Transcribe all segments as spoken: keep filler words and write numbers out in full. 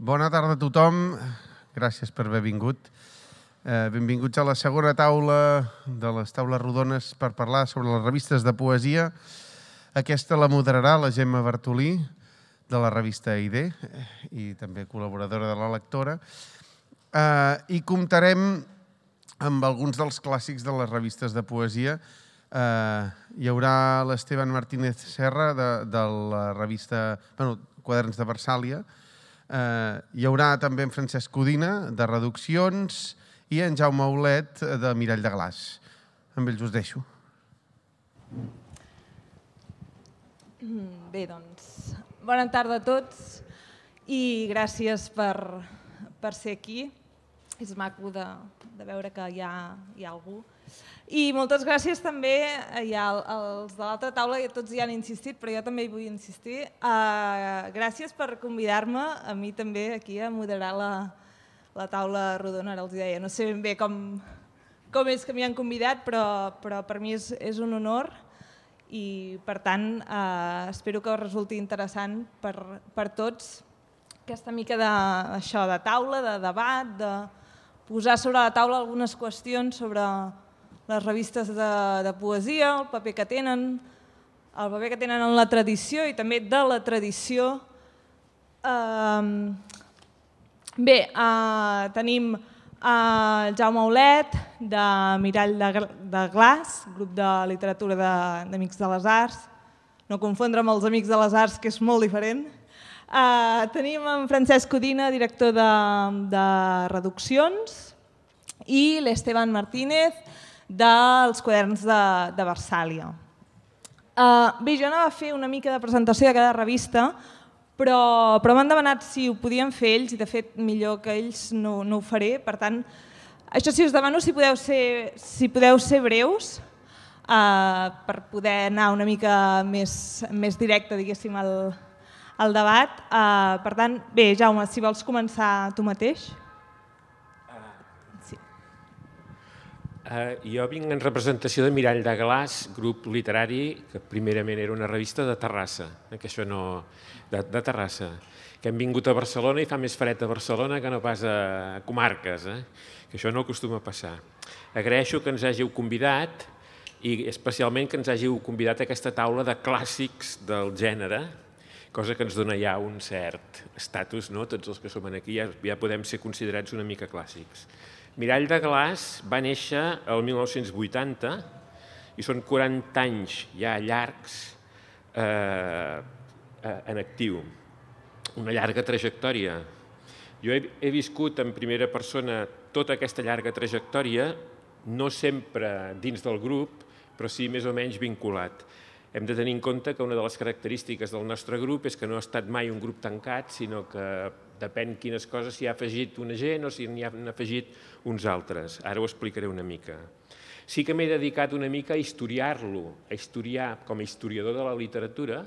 Bona tarda a tothom. Gràcies per haver vingut. Benvinguts a la segona taula de les taules rodones per parlar sobre les revistes de poesia. Aquesta la moderarà la Gemma Bartolí, de la revista I D, i també col·laboradora de la lectora. I comptarem amb alguns dels clàssics de les revistes de poesia. Hi haurà l'Esteban Martínez Serra, de la revista Quaderns de Versàlia. Hi haurà també en Francesc Codina, de Reduccions, i en Jaume Aulet, de Mirall de Glaç. Amb ells us deixo. Bé, doncs, bona tarda a tots i gràcies per ser aquí. És maco de veure que hi ha algú. I moltes gràcies també als de l'altra taula, i tots hi han insistit, però jo també hi vull insistir. Gràcies per convidar-me a mi també aquí a moderar la taula rodona, ara els deia. No sé ben bé com és que m'hi han convidat, però per mi és un honor i, per tant, espero que us resulti interessant per tots aquesta mica d'això, de taula, de debat, de posar sobre la taula algunes qüestions sobre les revistes de poesia, el paper que tenen, el paper que tenen en la tradició i també de la tradició. Bé, tenim el Jaume Aulet, de Mirall de Glaç, grup de literatura d'Amics de les Arts, no confondre amb els Amics de les Arts, que és molt diferent. Tenim en Francesc Codina, director de Reduccions, i l'Esteban Martínez, dels Quaderns de Versàlia. Bé, jo anava a fer una mica de presentació de cada revista, però m'han demanat si ho podien fer ells, i de fet millor que ells no ho faré. Per tant, això sí, us demano si podeu ser breus per poder anar una mica més directe, diguéssim, al debat. Per tant, bé, Jaume, si vols començar tu mateix. Jo vinc en representació de Mirall de Glaç, grup literari, que primerament era una revista de Terrassa, que això no... de Terrassa, que hem vingut a Barcelona i fa més fred a Barcelona que no pas a comarques, que això no acostuma a passar. Agraeixo que ens hàgiu convidat i especialment que ens hàgiu convidat a aquesta taula de clàssics del gènere, cosa que ens dona ja un cert estatus, tots els que som aquí ja podem ser considerats una mica clàssics. Mirall de Glaç va néixer el mil nou-cents vuitanta i són quaranta anys ja llargs en actiu, una llarga trajectòria. Jo he viscut en primera persona tota aquesta llarga trajectòria, no sempre dins del grup, però sí més o menys vinculat. Hem de tenir en compte que una de les característiques del nostre grup és que no ha estat mai un grup tancat, sinó que depèn quines coses s'hi ha afegit una gent o si n'hi han afegit uns altres. Ara ho explicaré una mica. Sí que m'he dedicat una mica a historiar-lo, a historiar com a historiador de la literatura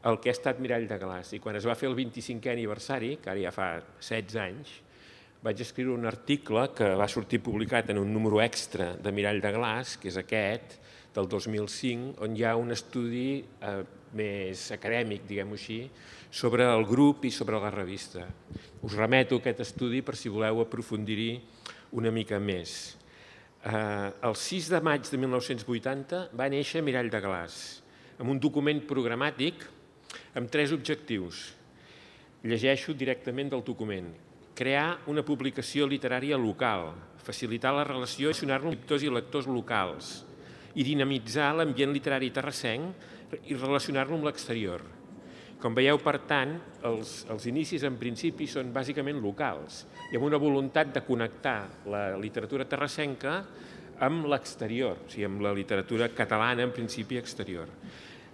el que ha estat Mirall de Glaç. I quan es va fer el vint-i-cinquè aniversari, que ara ja fa setze anys, vaig escriure un article que va sortir publicat en un número extra de Mirall de Glaç, que és aquest, del dos mil cinc, on hi ha un estudi més acadèmic, diguem-ho així, sobre el grup i sobre la revista. Us remeto a aquest estudi per si voleu aprofundir-hi una mica més. El sis de maig de mil nou-cents vuitanta va néixer Mirall de Glaç, amb un document programàtic amb tres objectius. Llegeixo directament del document. Crear una publicació literària local, facilitar la relació i relacionar-nos amb escriptors i lectors locals, i dinamitzar l'ambient literari terrassenc i relacionar-lo amb l'exterior. Com veieu, per tant, els inicis en principi són bàsicament locals i amb una voluntat de connectar la literatura terrassenca amb l'exterior, o sigui, amb la literatura catalana en principi exterior.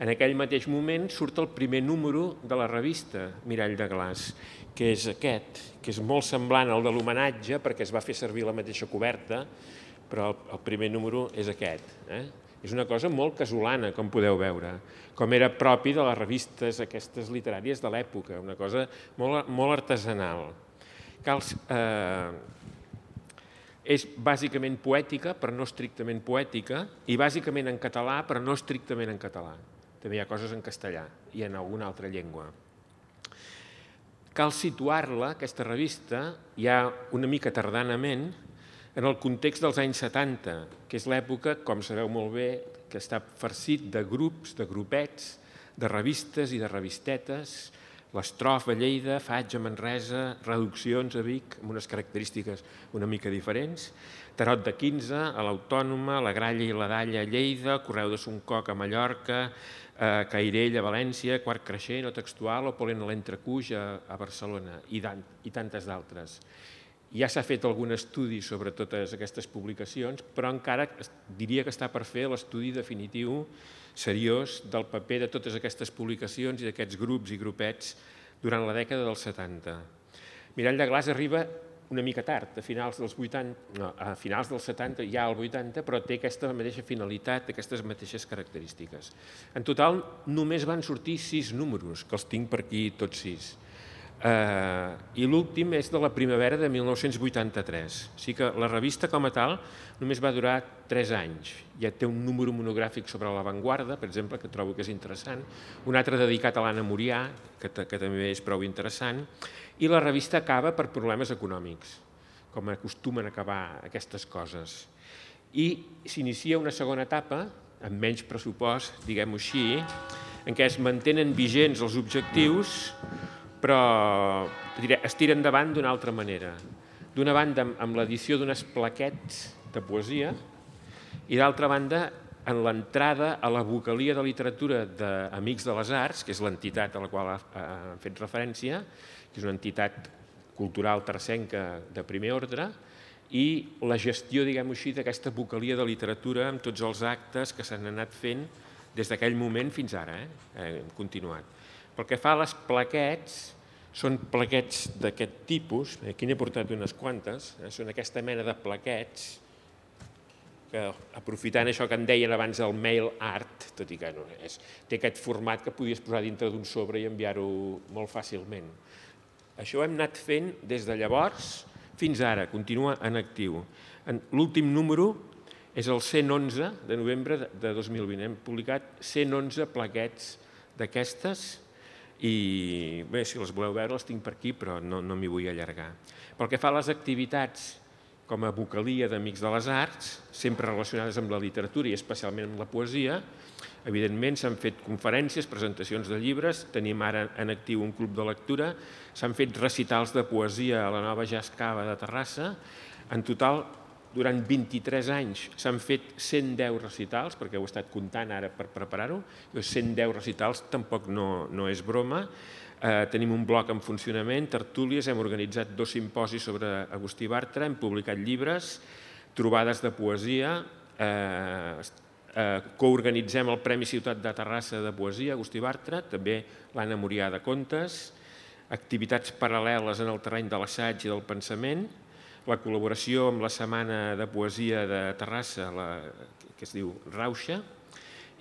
En aquell mateix moment surt el primer número de la revista Mirall de Glaç, que és aquest, que és molt semblant al de l'homenatge perquè es va fer servir la mateixa coberta, però el primer número és aquest. És una cosa molt casolana, com podeu veure, com era propi de les revistes aquestes literàries de l'època, una cosa molt artesanal. És bàsicament poètica, però no estrictament poètica, i bàsicament en català, però no estrictament en català. També hi ha coses en castellà i en alguna altra llengua. cal situar-la, aquesta revista, ja una mica tardanament, en el context dels anys setanta, que és l'època, com sabeu molt bé, que està farcit de grups, de grupets, de revistes i de revistetes, l'Estrof a Lleida, Faig a Manresa, Reduccions a Vic, amb unes característiques una mica diferents, Tarot de quinze, a l'Autònoma, la Gralla i la Dalla a Lleida, Correu de Soncoc a Mallorca, eh, Cairell a València, Quart Creixent o Textual o Polen a l'Entrecuix a, a Barcelona i, i tantes d'altres. Ja s'ha fet algun estudi sobre totes aquestes publicacions, però encara diria que està per fer l'estudi definitiu seriós del paper de totes aquestes publicacions i d'aquests grups i grupets durant la dècada dels setanta. Mirall de Glaç arriba una mica tard, a finals dels vuitanta, no, a finals dels setanta, ja al vuitanta, però té aquesta mateixa finalitat, aquestes mateixes característiques. En total, només van sortir sis números, que els tinc per aquí tots sis. Uh, I l'últim és de la primavera de mil nou-cents vuitanta-tres. O sigui que la revista com a tal només va durar tres anys. Ja té un número monogràfic sobre l'avantguarda, per exemple, que trobo que és interessant, un altre dedicat a l'Anna Murià, que, que també és prou interessant, i la revista acaba per problemes econòmics, com acostumen a acabar aquestes coses. I s'inicia una segona etapa, amb menys pressupost, diguem-ho així, en què es mantenen vigents els objectius, però es tira endavant d'una altra manera. D'una banda, amb l'edició d'unes plaquets de poesia, i d'altra banda, en l'entrada a la vocalia de literatura d'Amics de les Arts, que és l'entitat a la qual ha fet referència, que és una entitat cultural tercenca de primer ordre, i la gestió, diguem-ho així, d'aquesta vocalia de literatura amb tots els actes que s'han anat fent des d'aquell moment fins ara, eh? Hem continuat. Pel que fa a les plaquets, són plaquets d'aquest tipus, aquí n'he portat unes quantes, eh? Són aquesta mena de plaquets, que aprofitant això que en deien abans el mail art, tot i que no és, té aquest format que podies posar dintre d'un sobre i enviar-ho molt fàcilment. Això ho hem anat fent des de llavors fins ara, continua en actiu. L'últim número és el cent onze de novembre de dos mil vint. Hem publicat cent onze plaquets d'aquestes i bé, si les voleu veure les tinc per aquí, però no, no m'hi vull allargar. Pel que fa a les activitats com a vocalia d'Amics de les Arts, sempre relacionades amb la literatura i especialment amb la poesia, evidentment s'han fet conferències, presentacions de llibres, tenim ara en actiu un club de lectura, s'han fet recitals de poesia a la nova Jazz Cava de Terrassa, en total durant vint-i-tres anys s'han fet cent deu recitals, perquè ho he estat comptant ara per preparar-ho, cent deu recitals tampoc no, no és broma. Eh, tenim un bloc en funcionament, tertúlies, hem organitzat dos simposis sobre Agustí Bartra, hem publicat llibres, trobades de poesia, eh, eh, coorganitzem el Premi Ciutat de Terrassa de Poesia, Agustí Bartra, també l'Anna Murià de Contes, activitats paral·leles en el terreny de l'assaig i del pensament, la col·laboració amb la Setmana de Poesia de Terrassa, la, que es diu Rauxa,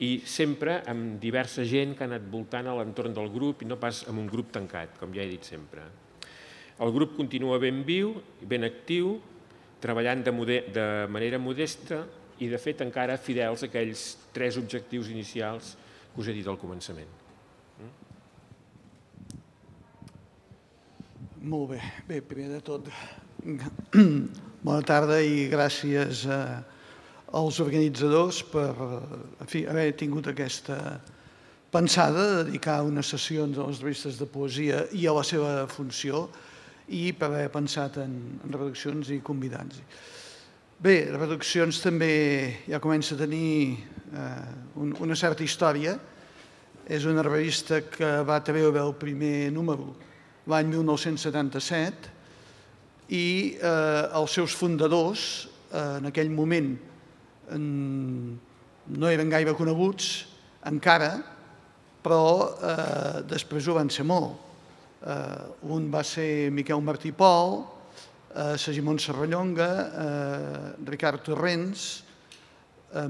i sempre amb diversa gent que ha anat voltant a l'entorn del grup i no pas amb un grup tancat, com ja he dit sempre. El grup continua ben viu, ben actiu, treballant de, de manera modesta i, de fet, encara fidels a aquells tres objectius inicials que us he dit al començament. Molt bé. Bé, primer de tot, bona tarda i gràcies als organitzadors per en fi, haver tingut aquesta pensada de dedicar unes sessions a les revistes de poesia i a la seva funció i per haver pensat en, en redaccions i convidats. Bé, les redaccions també ja comença a tenir eh, un, una certa història. És una revista que va treure el primer número l'any mil nou-cents setanta-set i eh, els seus fundadors eh, en aquell moment en, no eren gaire coneguts encara, però eh, després ho van ser molt. Eh, un va ser Miquel Martí Pol, eh, Segimon Serrallonga, eh, Ricard Torrents, eh,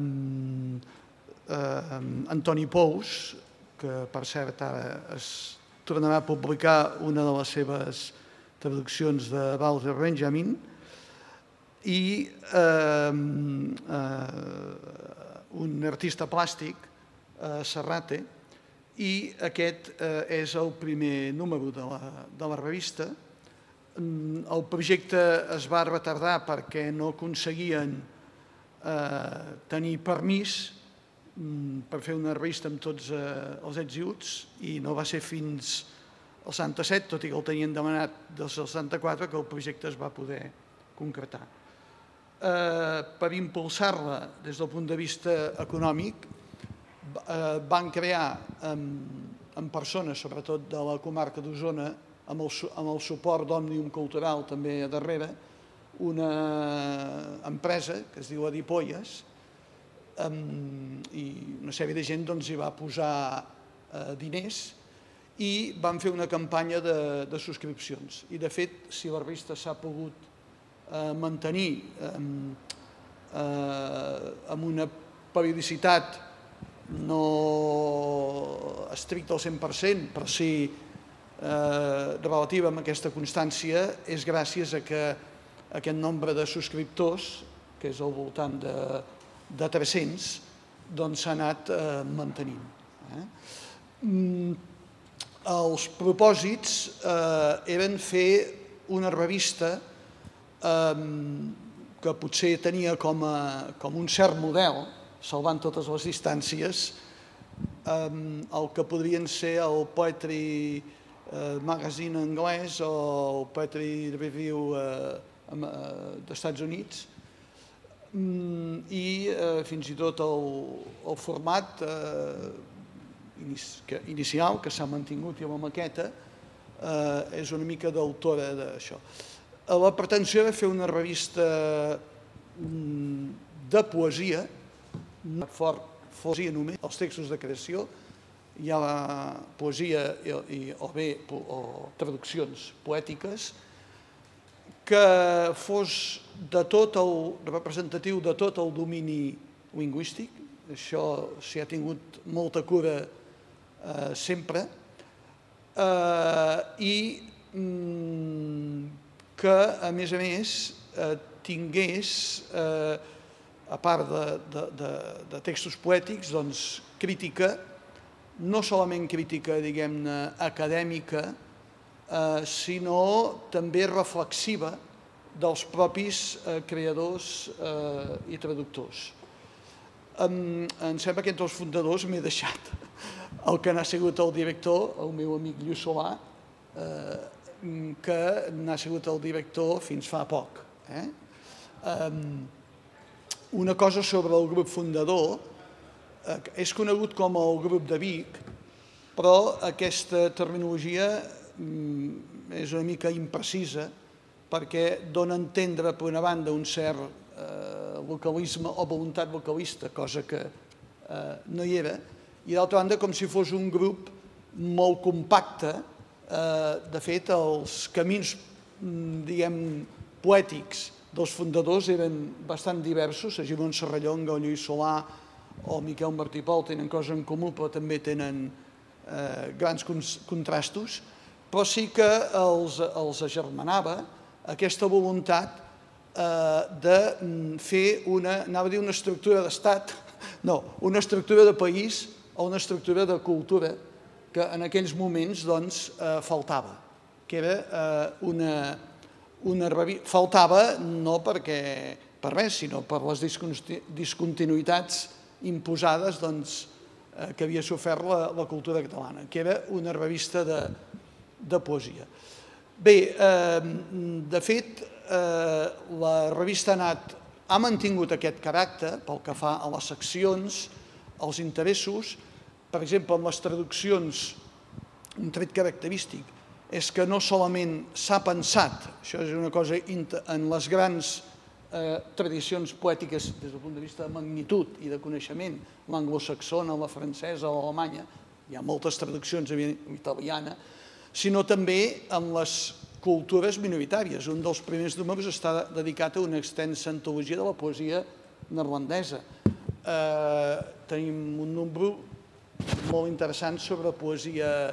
eh, Antoni Pous, que per cert ara es tornarà a publicar una de les seves traduccions de Walter Benjamin, i eh, eh, un artista plàstic, eh, Serrate, i aquest és el primer número de la revista. El projecte es va retardar perquè no aconseguien tenir permís per fer una revista amb tots els ets i uts i no va ser fins al setanta-set, tot i que el tenien demanat des del setanta-quatre, que el projecte es va poder concretar. Per impulsar-la des del punt de vista econòmic, van crear amb persones, sobretot de la comarca d'Osona, amb el suport d'Òmnium Cultural també a darrere, una empresa que es diu Adipolles, i una sèrie de gent hi va posar diners i van fer una campanya de subscripcions. I, de fet, si la revista s'ha pogut mantenir amb una periodicitat no estricta al cent per cent, però sí relativa amb aquesta constància, és gràcies a que aquest nombre de subscriptors, que és al voltant de tres-cents, doncs s'ha anat mantenint. Els propòsits eren fer una revista que potser tenia com un cert model, salvant totes les distàncies, el que podrien ser el Poetry Magazine anglès o el Poetry Review dels Estats Units, i fins i tot el format inicial, que s'ha mantingut, i la maqueta és una mica d'autora d'això. La pretensió era fer una revista de poesia, no fort poesia només, els textos de creació, hi ha la poesia o bé traduccions poètiques, que fos de tot el representatiu de tot el domini lingüístic, això s'hi ha tingut molta cura sempre, i que, a més a més, tingués, a part de textos poètics, crítica, no solament crítica, diguem-ne, acadèmica, sinó també reflexiva dels propis creadors i traductors. Em sembla que entre els fundadors m'he deixat el que n'ha sigut el director, el meu amic Lluís Solà, que n'ha sigut el director fins fa poc. Una cosa sobre el grup fundador, és conegut com el grup de Vic, però aquesta terminologia és una mica imprecisa perquè dona a entendre, per una banda, un cert localisme o voluntat localista, cosa que no hi era, i d'altra banda com si fos un grup molt compacte. De fet, els camins, diguem, poètics dels fundadors eren bastant diversos. Segimon Serrallonga o Lluís Solà o Miquel Martí Pol tenen coses en comú, però també tenen grans contrastos, però sí que els agermanava aquesta voluntat de fer una, anava a dir una estructura d'estat, no, una estructura de país o una estructura de cultura que en aquells moments faltava, que era una revista, faltava no perquè per res, sinó per les discontinuïtats imposades que havia sofert la cultura catalana, que era una revista de poesia. Bé, de fet, la revista ha anat, ha mantingut aquest caràcter pel que fa a les seccions, als interessos. Per exemple, en les traduccions, un tret característic és que no solament s'ha pensat, això és una cosa en les grans tradicions poètiques des del punt de vista de magnitud i de coneixement, l'anglosaxona, la francesa o l'alemanya, hi ha moltes traduccions en italiana, sinó també en les cultures minoritàries. Un dels primers números està dedicat a una extensa antologia de la poesia neerlandesa. Tenim un número molt interessant sobre poesia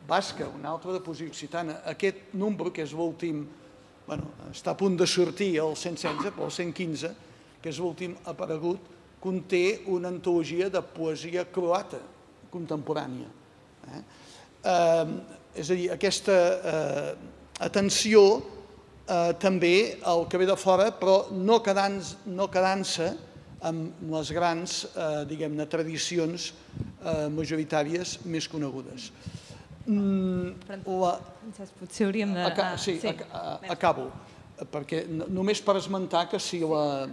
basca, un altre de poesia occitana. Aquest número, que és l'últim, està a punt de sortir el cent setze, però el cent quinze, que és l'últim aparegut, conté una antologia de poesia croata contemporània. Eh? Eh, és a dir, aquesta eh, atenció eh, també al que ve de fora, però no quedant-se no quedant amb les grans eh, diguem-ne tradicions eh, majoritàries més conegudes. Mm, la... Francesc, potser hauríem de... Aca sí, sí. Acabo, perquè només per esmentar que si la,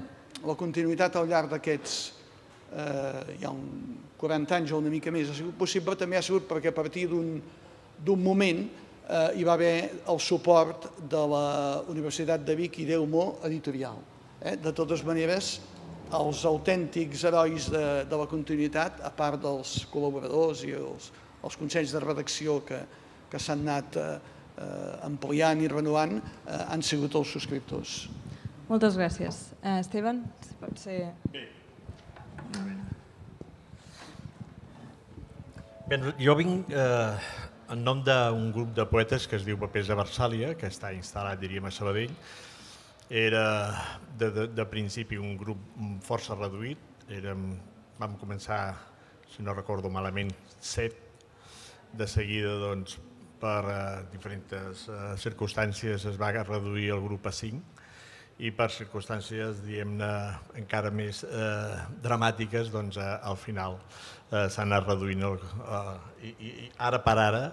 la continuïtat al llarg d'aquests eh, hi ha un quaranta anys o una mica més ha sigut possible, també ha sigut perquè a partir d'un moment eh, hi va haver el suport de la Universitat de Vic i d'Eumo Editorial. Eh? De totes maneres, els autèntics herois de, de la continuïtat, a part dels col·laboradors i els, els consells de redacció que, que s'han anat eh, ampliant i renovant, eh, han sigut els subscriptors. Moltes gràcies. Eh, Esteban, si pot ser... Bé. Bé, jo vinc eh, en nom d'un grup de poetes que es diu Papers de Versàlia, que està instal·lat, diríem, a Sabadell. Era de, de, de principi un grup força reduït. Érem, vam començar, si no recordo malament, set. De seguida, doncs, per eh, diferents eh, circumstàncies es va reduir el grup a cinc i per circumstàncies, diguem-ne, encara més eh, dramàtiques, doncs, eh, al final eh, s'ha anat reduint. El, eh, i, I ara per ara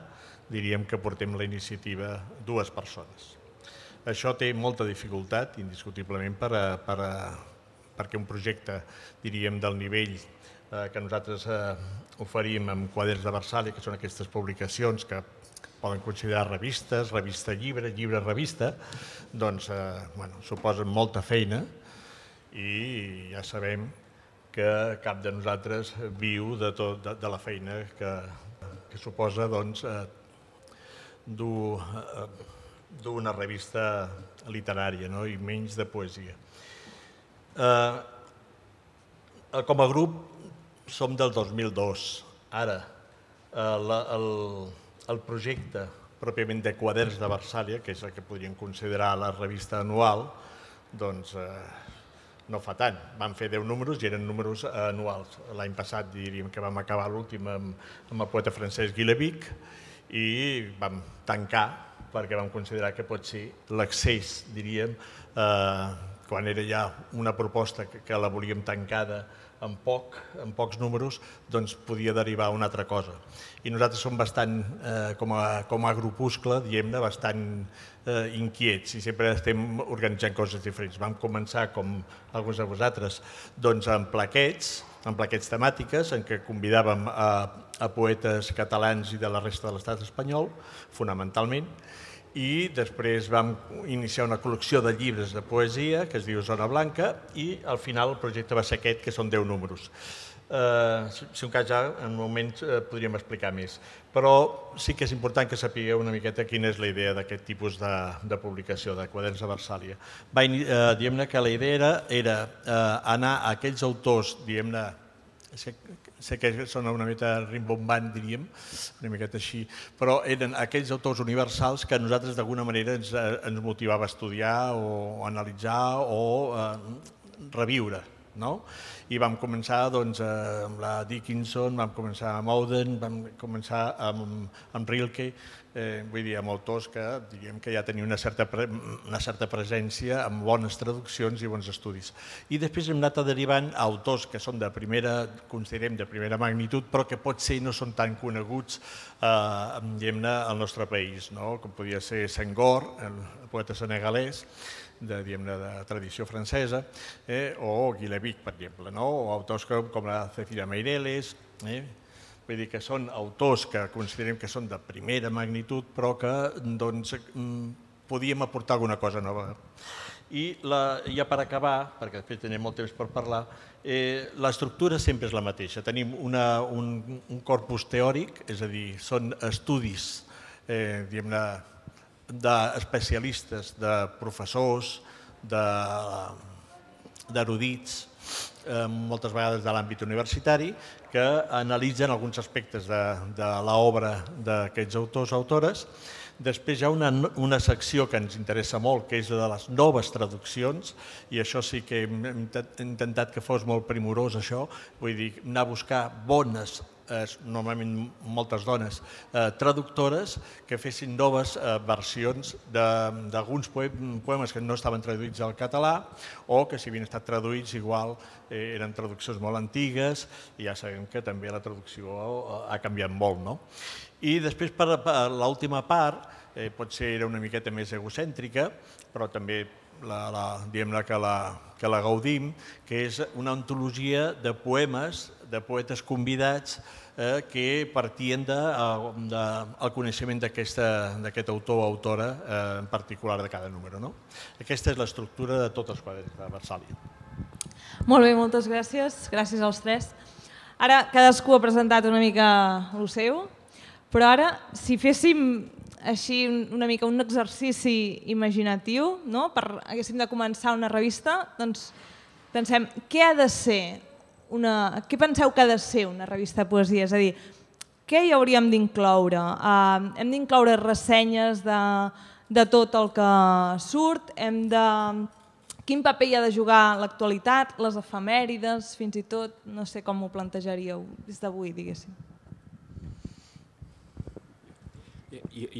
diríem que portem la iniciativa dues persones. Això té molta dificultat, indiscutiblement, per, per, perquè un projecte, diríem, del nivell eh, que nosaltres eh, oferim amb Quaderns de Versàlia, que són aquestes publicacions que poden considerar revistes, revista llibre, llibre revista, doncs eh, bueno, suposen molta feina i ja sabem que cap de nosaltres viu de, tot, de, de la feina que, que suposa doncs, eh, dur... Eh, d'una revista literària, no? I menys de poesia. Eh, com a grup som del dos mil dos. Ara, eh, la, el, el projecte pròpiament de Quaderns de Versàlia, que és el que podríem considerar la revista anual, doncs eh, no fa tant. Vam fer deu números i eren números anuals. L'any passat diríem que vam acabar l'últim amb, amb el poeta francès Guilevic i vam tancar perquè vam considerar que pot ser l'accés, diríem, eh, quan era ja una proposta que, que la volíem tancada en, poc, en pocs números, doncs podia derivar a una altra cosa. I nosaltres som bastant, eh, com, a, com a grupuscle, diguem-ne, bastant eh, inquiets i sempre estem organitzant coses diferents. Vam començar, com alguns de vosaltres, doncs amb plaquets, amb plaquets temàtiques en què convidàvem a, a poetes catalans i de la resta de l'estat espanyol, fonamentalment, i després vam iniciar una col·lecció de llibres de poesia que es diu Zona Blanca i al final el projecte va ser aquest, que són deu números. Eh, si un cas ja, en un moment eh, podríem explicar més, però sí que és important que sapigueu una miqueta quina és la idea d'aquest tipus de, de publicació, de Quaderns de Versàlia. Va, eh, diguem-ne que la idea era, era eh, anar a aquells autors, diguem-ne, sé, sé que sona una mica rimbombant, diríem, una miqueta així, però eren aquells autors universals que a nosaltres d'alguna manera ens, ens motivava a estudiar o analitzar o eh, reviure. No? I vam començar doncs, amb la Dickinson, vam començar amb Auden, vam començar amb, amb Rilke, eh, vull dir, amb autors que diríem que ja tenien una certa, pre, una certa presència amb bones traduccions i bons estudis. I després hem anat derivant a autors que són de primera, considerem de primera magnitud, però que potser no són tan coneguts eh, diguem-ne, al nostre país, no? Com podia ser Senghor, el poeta senegalès, de, de tradició francesa, eh, o Guilevic, per exemple, no? O autors com, com la Cecilia Meireles. Eh? Vull dir que són autors que considerem que són de primera magnitud, però que doncs, podíem aportar alguna cosa nova. I la, ja per acabar, perquè després tenim molt temps per parlar, eh, l'estructura sempre és la mateixa. Tenim una, un, un corpus teòric, és a dir, són estudis, eh, diguem-ne, d'especialistes, de professors, d'erudits, eh, moltes vegades de l'àmbit universitari, que analitzen alguns aspectes de, de l'obra d'aquests autors o autores. Després hi ha una, una secció que ens interessa molt, que és la de les noves traduccions, i això sí que hem intentat que fos molt primorós, això, vull dir, anar a buscar bones normalment moltes dones, traductores que fessin noves versions d'alguns poemes que no estaven traduïts al català o que si havien estat traduïts igual eren traduccions molt antigues i ja sabem que també la traducció ha canviat molt, no? I després, per l'última part, potser era una miqueta més egocèntrica, però també diguem-ne que la gaudim, que és una antologia de poemes, de poetes convidats que partien del coneixement d'aquest autor o autora en particular de cada número. Aquesta és l'estructura de tots els quadres de Versàlia. Molt bé, moltes gràcies. Gràcies als tres. Ara cadascú ha presentat una mica el seu, però ara si féssim així una mica un exercici imaginatiu, haguéssim de començar una revista, doncs pensem què ha de ser, què penseu que ha de ser una revista de poesia? És a dir, què hi hauríem d'incloure? Hem d'incloure ressenyes de tot el que surt? Quin paper hi ha de jugar l'actualitat, les efemèrides, fins i tot? No sé com ho plantejaríeu des d'avui, diguéssim.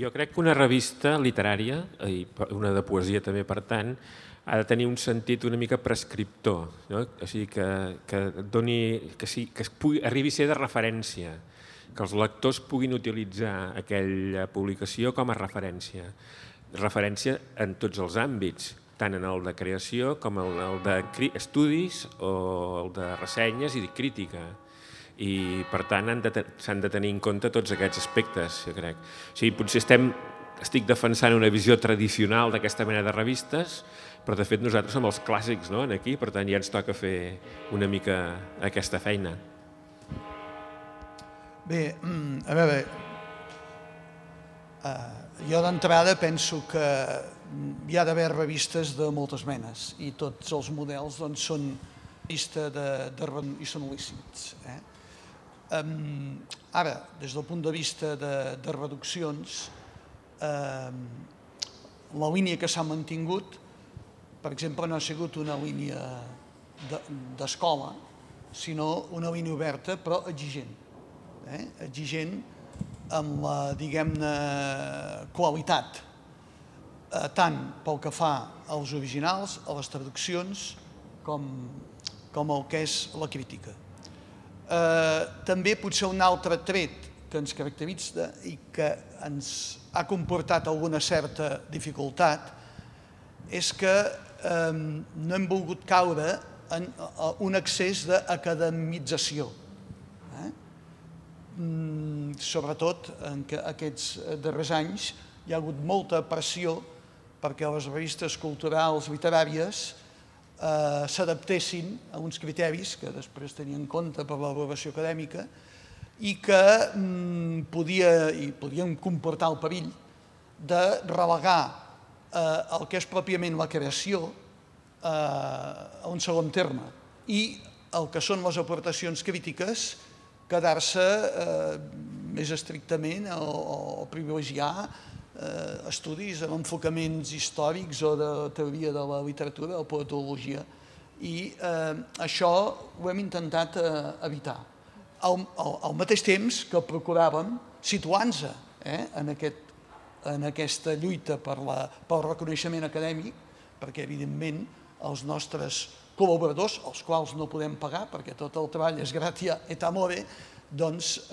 Jo crec que una revista literària, i una de poesia també per tant, ha de tenir un sentit una mica prescriptor, o sigui que arribi a ser de referència, que els lectors puguin utilitzar aquella publicació com a referència. Referència en tots els àmbits, tant en el de creació com en el d'estudis o el de ressenyes i de crítica. I, per tant, s'han de tenir en compte tots aquests aspectes, jo crec. O sigui, potser estic defensant una visió tradicional d'aquesta mena de revistes, però, de fet, nosaltres som els clàssics aquí, per tant, ja ens toca fer una mica aquesta feina. Bé, a veure, jo d'entrada penso que hi ha d'haver revistes de moltes menes i tots els models són revistes i són lícits. Ara, des del punt de vista de reduccions, la línia que s'ha mantingut, per exemple, no ha sigut una línia d'escola, sinó una línia oberta però exigent. Exigent amb la, diguem-ne, qualitat, tant pel que fa als originals, a les traduccions, com el que és la crítica. També potser un altre tret que ens caracteritza i que ens ha comportat alguna certa dificultat és que no hem volgut caure en un excés d'academització. Sobretot en aquests darrers anys hi ha hagut molta pressió perquè les revistes culturals literàries s'adaptessin a uns criteris que després tenien en compte per l'avaluació acadèmica i que podien comportar el perill de relegar el que és pròpiament la creació a un segon terme i el que són les aportacions crítiques quedar-se més estrictament o privilegiar estudis amb enfocaments històrics o de teoria de la literatura o poetologia. I això ho hem intentat evitar. Al mateix temps que procuràvem situar-nos en aquesta lluita pel reconeixement acadèmic, perquè evidentment els nostres col·laboradors, els quals no podem pagar perquè tot el treball és gratia et amore, doncs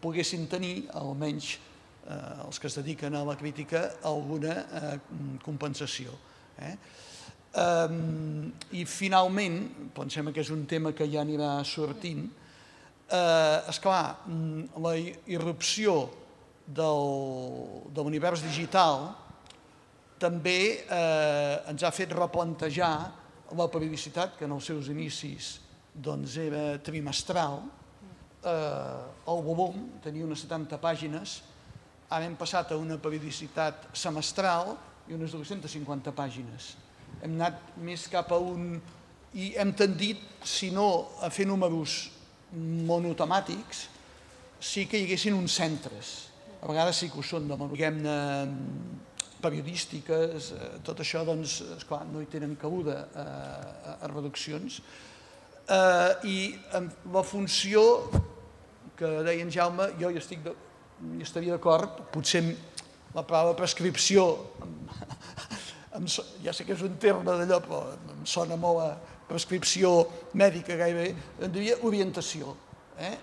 poguessin tenir almenys els que es dediquen a la crítica, alguna compensació. I finalment, pensem que és un tema que ja anirà sortint, esclar, la irrupció de l'univers digital també ens ha fet replantejar la periodicitat, que en els seus inicis era trimestral, el volum tenia unes setanta pàgines. Ara hem passat a una periodicitat semestral i unes dues-centes cinquanta pàgines. Hem anat més cap a un... i hem tendit, si no a fer números monotemàtics, sí que hi haguessin uns centres. A vegades sí que ho són, diguem-ne, periodístiques, tot això, doncs, esclar, no hi tenen cabuda a reduccions. I la funció que deia en Jaume, jo hi estic de, hi estaria d'acord, potser la paraula prescripció, em, ja sé que és un terme d'allò, però em sona molt a prescripció mèdica gairebé, em diria orientació, eh?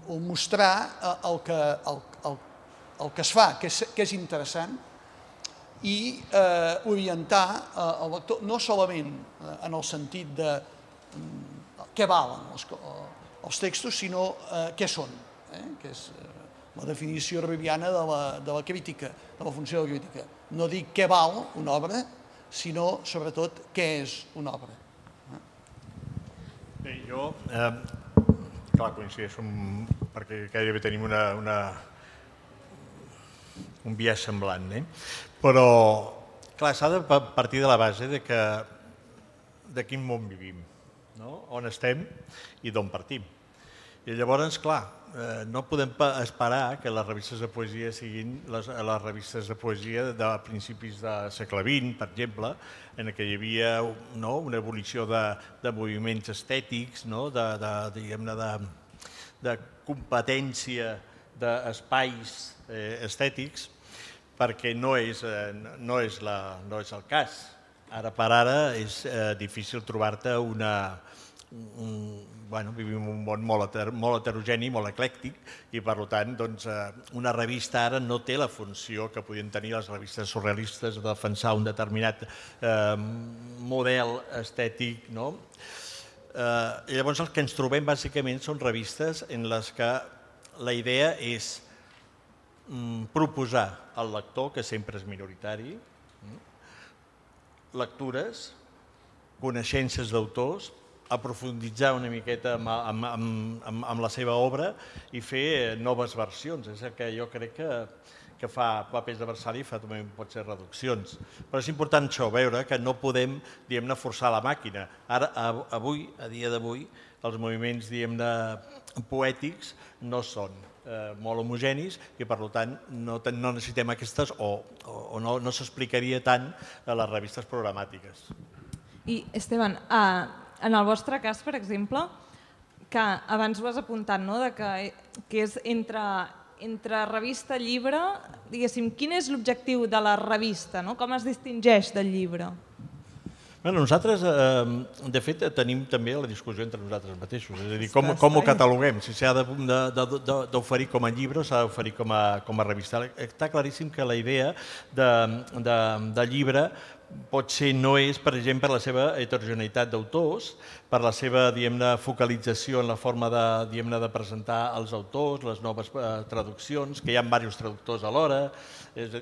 o mostrar el que, el, el, el que es fa, que és, que és interessant, i eh, orientar eh, el lector no solament eh, en el sentit de eh, què valen els, els textos, sinó eh, què són, eh? que és eh, la definició ribiana de la, de la crítica, de la funció de la crítica. No dic què val una obra, sinó sobretot què és una obra. Bé, jo, eh, clar, coincideixo amb, perquè gairebé tenim una, una, un biaix semblant, eh? Però, clar, s'ha de partir de la base de que de quin món vivim, no? On estem i d'on partim. I llavors, clar, eh, no podem esperar que les revistes de poesia siguin les, les revistes de poesia de principis del segle vint, per exemple, en què hi havia no, una evolució de, de moviments estètics, no? de, de, diguem-ne, de, de competència d'espais eh, estètics, perquè no és, eh, no, és la, no és el cas. Ara per ara és eh, difícil trobar-te una... Un, bueno, vivim un món molt, heter, molt heterogeni, molt eclèctic, i per tant doncs, eh, una revista ara no té la funció que podien tenir les revistes surrealistes de defensar un determinat eh, model estètic. No? Eh, llavors el que ens trobem bàsicament són revistes en les que la idea és proposar al lector, que sempre és minoritari, lectures, coneixences d'autors, aprofunditzar una miqueta amb, amb, amb, amb la seva obra i fer noves versions. És el que jo crec que, que fa Papers de Versali i fa també pot ser reduccions. Però és important això, veure que no podem, diguem-ne, forçar la màquina. Ara, avui, a dia d'avui, els moviments, diguem-ne, poètics no són Eh, molt homogenis i per tant no, no necessitem aquestes o, o, o no, no s'explicaria tant a les revistes programàtiques. I Esteban, eh, en el vostre cas, per exemple, que abans ho has apuntat, no? de que, que és entre, entre revista i llibre, diguéssim, quin és l'objectiu de la revista? No? Com es distingeix del llibre? Bueno, nosaltres, eh, de fet, tenim també la discussió entre nosaltres mateixos, és a dir, com, com ho cataloguem, si s'ha d'oferir com a llibre o s'ha d'oferir com, a, com a revista. Està claríssim que la idea de, de, de llibre pot ser, no és, per exemple, per la seva heterogeneïtat d'autors, per la seva, diguem-ne, focalització en la forma de, diguem-ne, de presentar els autors, les noves eh, traduccions, que hi ha diversos traductors alhora. És,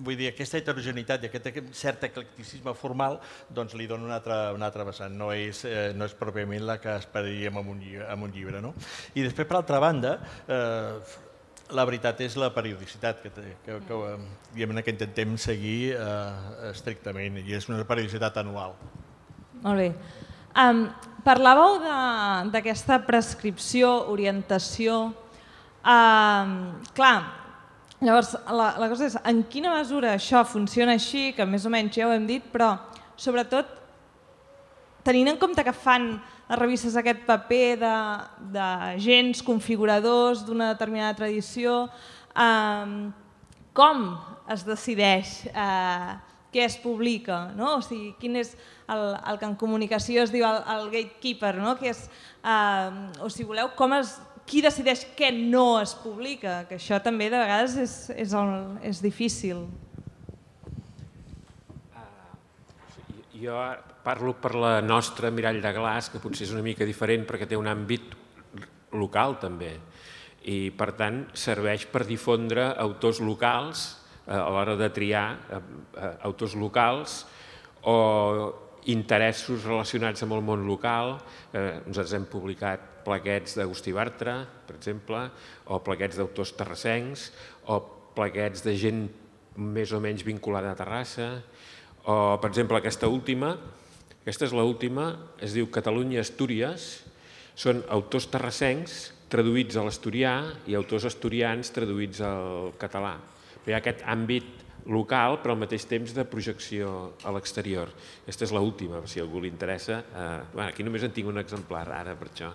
vull dir, aquesta heterogeneïtat i aquest cert eclecticisme formal doncs li dona una altra, una altra vessant, no és, eh, no és pròpiament la que esperaríem en un, en un llibre. No? I després, per altra banda, eh, la veritat és la periodicitat que, que, que, diguem-ne, que intentem seguir eh, estrictament, i és una periodicitat anual. Molt bé. Um, parlàveu d'aquesta prescripció, orientació. Um, clar, llavors, la, la cosa és, en quina mesura això funciona així, que més o menys ja ho hem dit, però sobretot tenint en compte que fan les revistes aquest paper d'agents configuradors d'una determinada tradició, eh, com es decideix eh, què es publica? No? O sigui, quin és el, el que en comunicació es diu el, el gatekeeper, no? Que és, eh, o si voleu, com es... Qui decideix què no es publica? Que això també de vegades és, és, el, és difícil. Uh, jo parlo per la nostra Mirall de Glaç, que potser és una mica diferent perquè té un àmbit local també. I per tant serveix per difondre autors locals uh, a l'hora de triar uh, uh, autors locals o interessos relacionats amb el món local. Uh, nosaltres hem publicat plaquets d'Agustí Bartra, per exemple, o plaquets d'autors terrassencs, o plaquets de gent més o menys vinculada a Terrassa, o, per exemple, aquesta última, aquesta és l'última, es diu Catalunya-Astúries, són autors terrassencs traduïts a l'asturià i autors asturians traduïts al català. Però hi ha aquest àmbit local, però al mateix temps de projecció a l'exterior. Aquesta és l'última, si a algú li interessa. Eh, bueno, aquí només en tinc un exemplar ara, per això,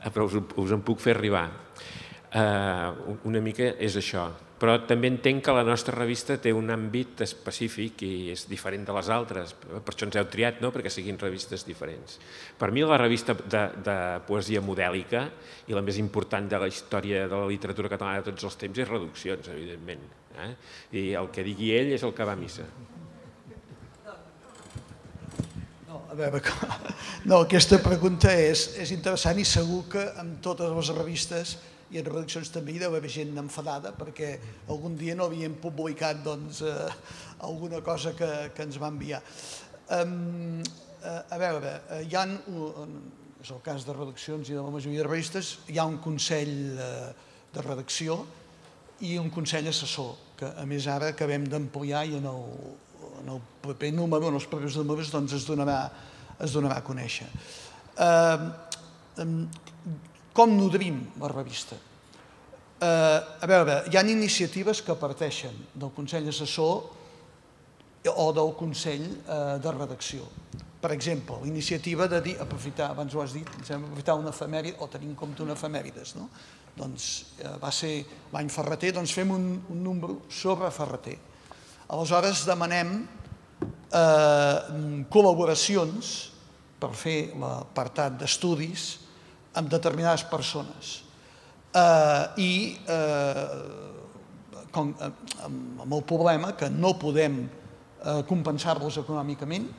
eh, però us, us en puc fer arribar. Eh, una mica és això. Però també entenc que la nostra revista té un àmbit específic i és diferent de les altres. Per això ens heu triat, no?, perquè siguin revistes diferents. Per mi la revista de, de poesia modèlica i la més important de la història de la literatura catalana de tots els temps és Reduccions, evidentment. Eh? I el que digui ell és el que va a missa. No, a veure, no, aquesta pregunta és, és interessant i segur que amb totes les revistes i en Redaccions també hi deu haver gent enfadada perquè algun dia no havíem publicat doncs, eh, alguna cosa que, que ens va enviar. Um, eh, a veure, hi ha, un, és el cas de Redaccions i de la majoria de revistes, hi ha un consell eh, de redacció i un consell assessor, que a més ara acabem d'ampliar i en el, en el proper número, en els propers números, doncs es donarà, es donarà a conèixer. Uh, um, Com nodrim la revista? Eh, a veure, hi ha iniciatives que parteixen del Consell Assessor o del Consell eh, de Redacció. Per exemple, l'iniciativa de dir, aprofitar, abans ho has dit, aprofitar una efemèride, o tenir en compte una efemèrides, no? Doncs eh, va ser l'any Ferreter, doncs fem un, un número sobre Ferreter. Aleshores demanem eh, col·laboracions per fer l'apartat d'estudis amb determinades persones. Eh, I eh, com, eh, amb el problema que no podem eh, compensar-los econòmicament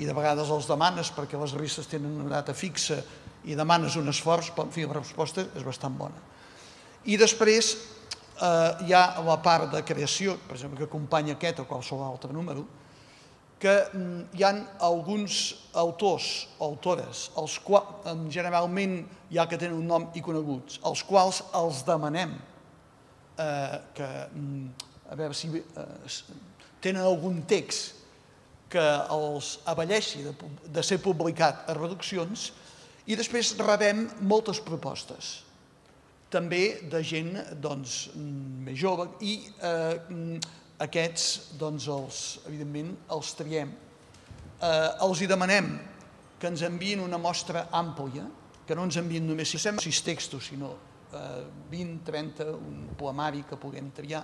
i de vegades els demanes perquè les revistes tenen una data fixa i demanes un esforç, però en fi, la resposta és bastant bona. I després eh, hi ha la part de creació, per exemple, que acompanya aquest o qualsevol altre número, que hi ha alguns autors o autores, els quals generalment ja que tenen un nom i coneguts, els quals els demanem eh, que, a veure si eh, tenen algun text que els avalleixi de, de ser publicat a Redaccions i després rebem moltes propostes, també de gent doncs, més jove i eh, aquests, doncs, els, evidentment, els triem. Eh, els hi demanem que ens enviïn una mostra àmplia, que no ens enviïn només sis textos, sinó eh, vint, trenta, un poemari que puguem triar.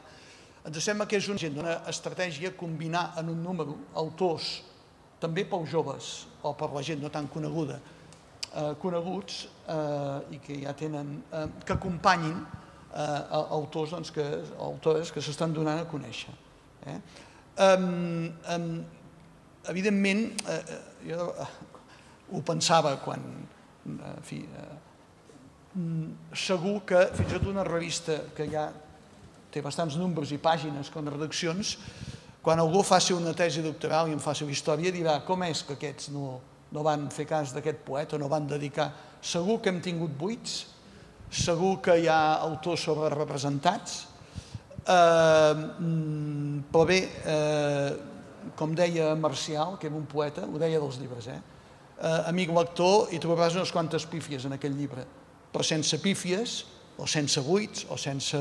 Ens sembla que és una estratègia combinar en un número autors, també pels joves o per la gent no tan coneguda, eh, coneguts eh, i que ja tenen, eh, que acompanyin eh, autors doncs, que, autores que s'estan donant a conèixer. Eh? Um, um, evidentment, eh, jo eh, ho pensava quan, en fi, eh, segur que fins i tot una revista que ja té bastants números i pàgines com Redaccions, quan algú faci una tesi doctoral i en faci una història, dirà com és que aquests no, no van fer cas d'aquest poeta, no van dedicar. Segur que hem tingut buits, segur que hi ha autors sobrerepresentats, eh, però bé, eh, com deia Marcial, que era un poeta, ho deia dels llibres, eh? Eh, amic lector, hi trobaràs unes quantes pífies en aquest llibre, però sense pífies, o sense buits, o sense...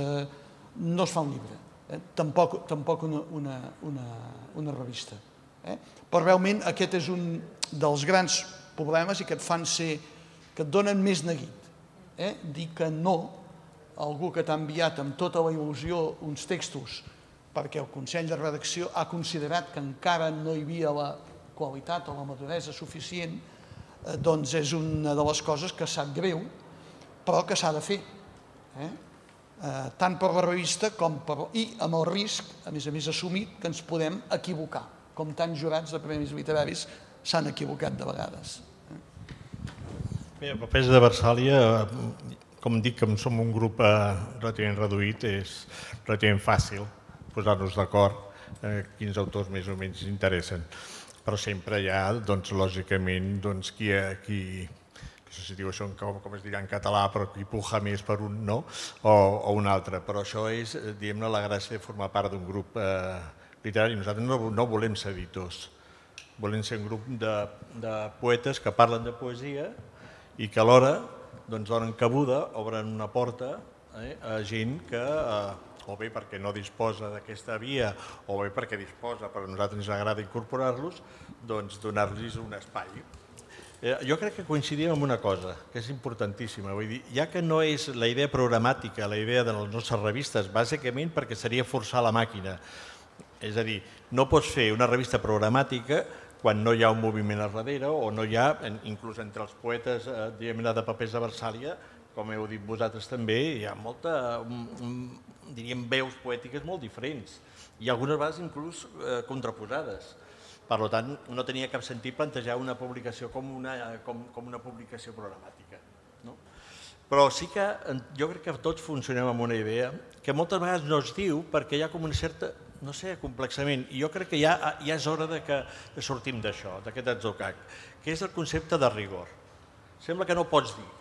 no es fa un llibre, eh? tampoc, tampoc una, una, una, una revista. Eh? Però realment aquest és un dels grans problemes i que et fan ser, que et donen més neguit. Eh? Dir que no a algú que t'ha enviat amb tota la il·lusió uns textos perquè el Consell de Redacció ha considerat que encara no hi havia la qualitat o la maduresa suficient, eh, doncs és una de les coses que sap greu, però que s'ha de fer. Eh? Eh, tant per la revista com per... i amb el risc, a més a més assumit, que ens podem equivocar, com tants jurats de premis literaris s'han equivocat de vegades. Bé, el paper de Versàlia, com dic que som un grup eh, relativament reduït, és relativament fàcil posar-nos d'acord eh, quins autors més o menys interessen. Però sempre hi ha, doncs, lògicament, doncs, qui, qui, no sé si diu això com, com es dirà en català, però qui puja més per un no o, o un altre. Però això és, diguem-ne, la gràcia de formar part d'un grup eh, literari. Nosaltres no, no volem ser editors, volem ser un grup de, de poetes que parlen de poesia i que alhora doncs, donen cabuda, obren una porta eh, a gent que eh, o bé perquè no disposa d'aquesta via, o bé perquè disposa, però a nosaltres ens agrada incorporar-los, doncs donar-los un espai. Jo crec que coincidim en una cosa, que és importantíssima. Vull dir, ja que no és la idea programàtica, la idea de les nostres revistes, bàsicament perquè seria forçar la màquina. És a dir, no pots fer una revista programàtica quan no hi ha un moviment a darrere o no hi ha, inclús entre els poetes de papers de Versàlia, com heu dit vosaltres també, hi ha molta, diríem, veus poètiques molt diferents i algunes vegades inclús contraposades. Per tant, no tenia cap sentit plantejar una publicació com una, com, com una publicació programàtica. No? Però sí que jo crec que tots funcionem amb una idea que moltes vegades no es diu perquè hi ha com una certa, no sé, complexament. I jo crec que ja, ja és hora de que sortim d'això, d'aquest atzucac, que és el concepte de rigor. Sembla que no pots dir,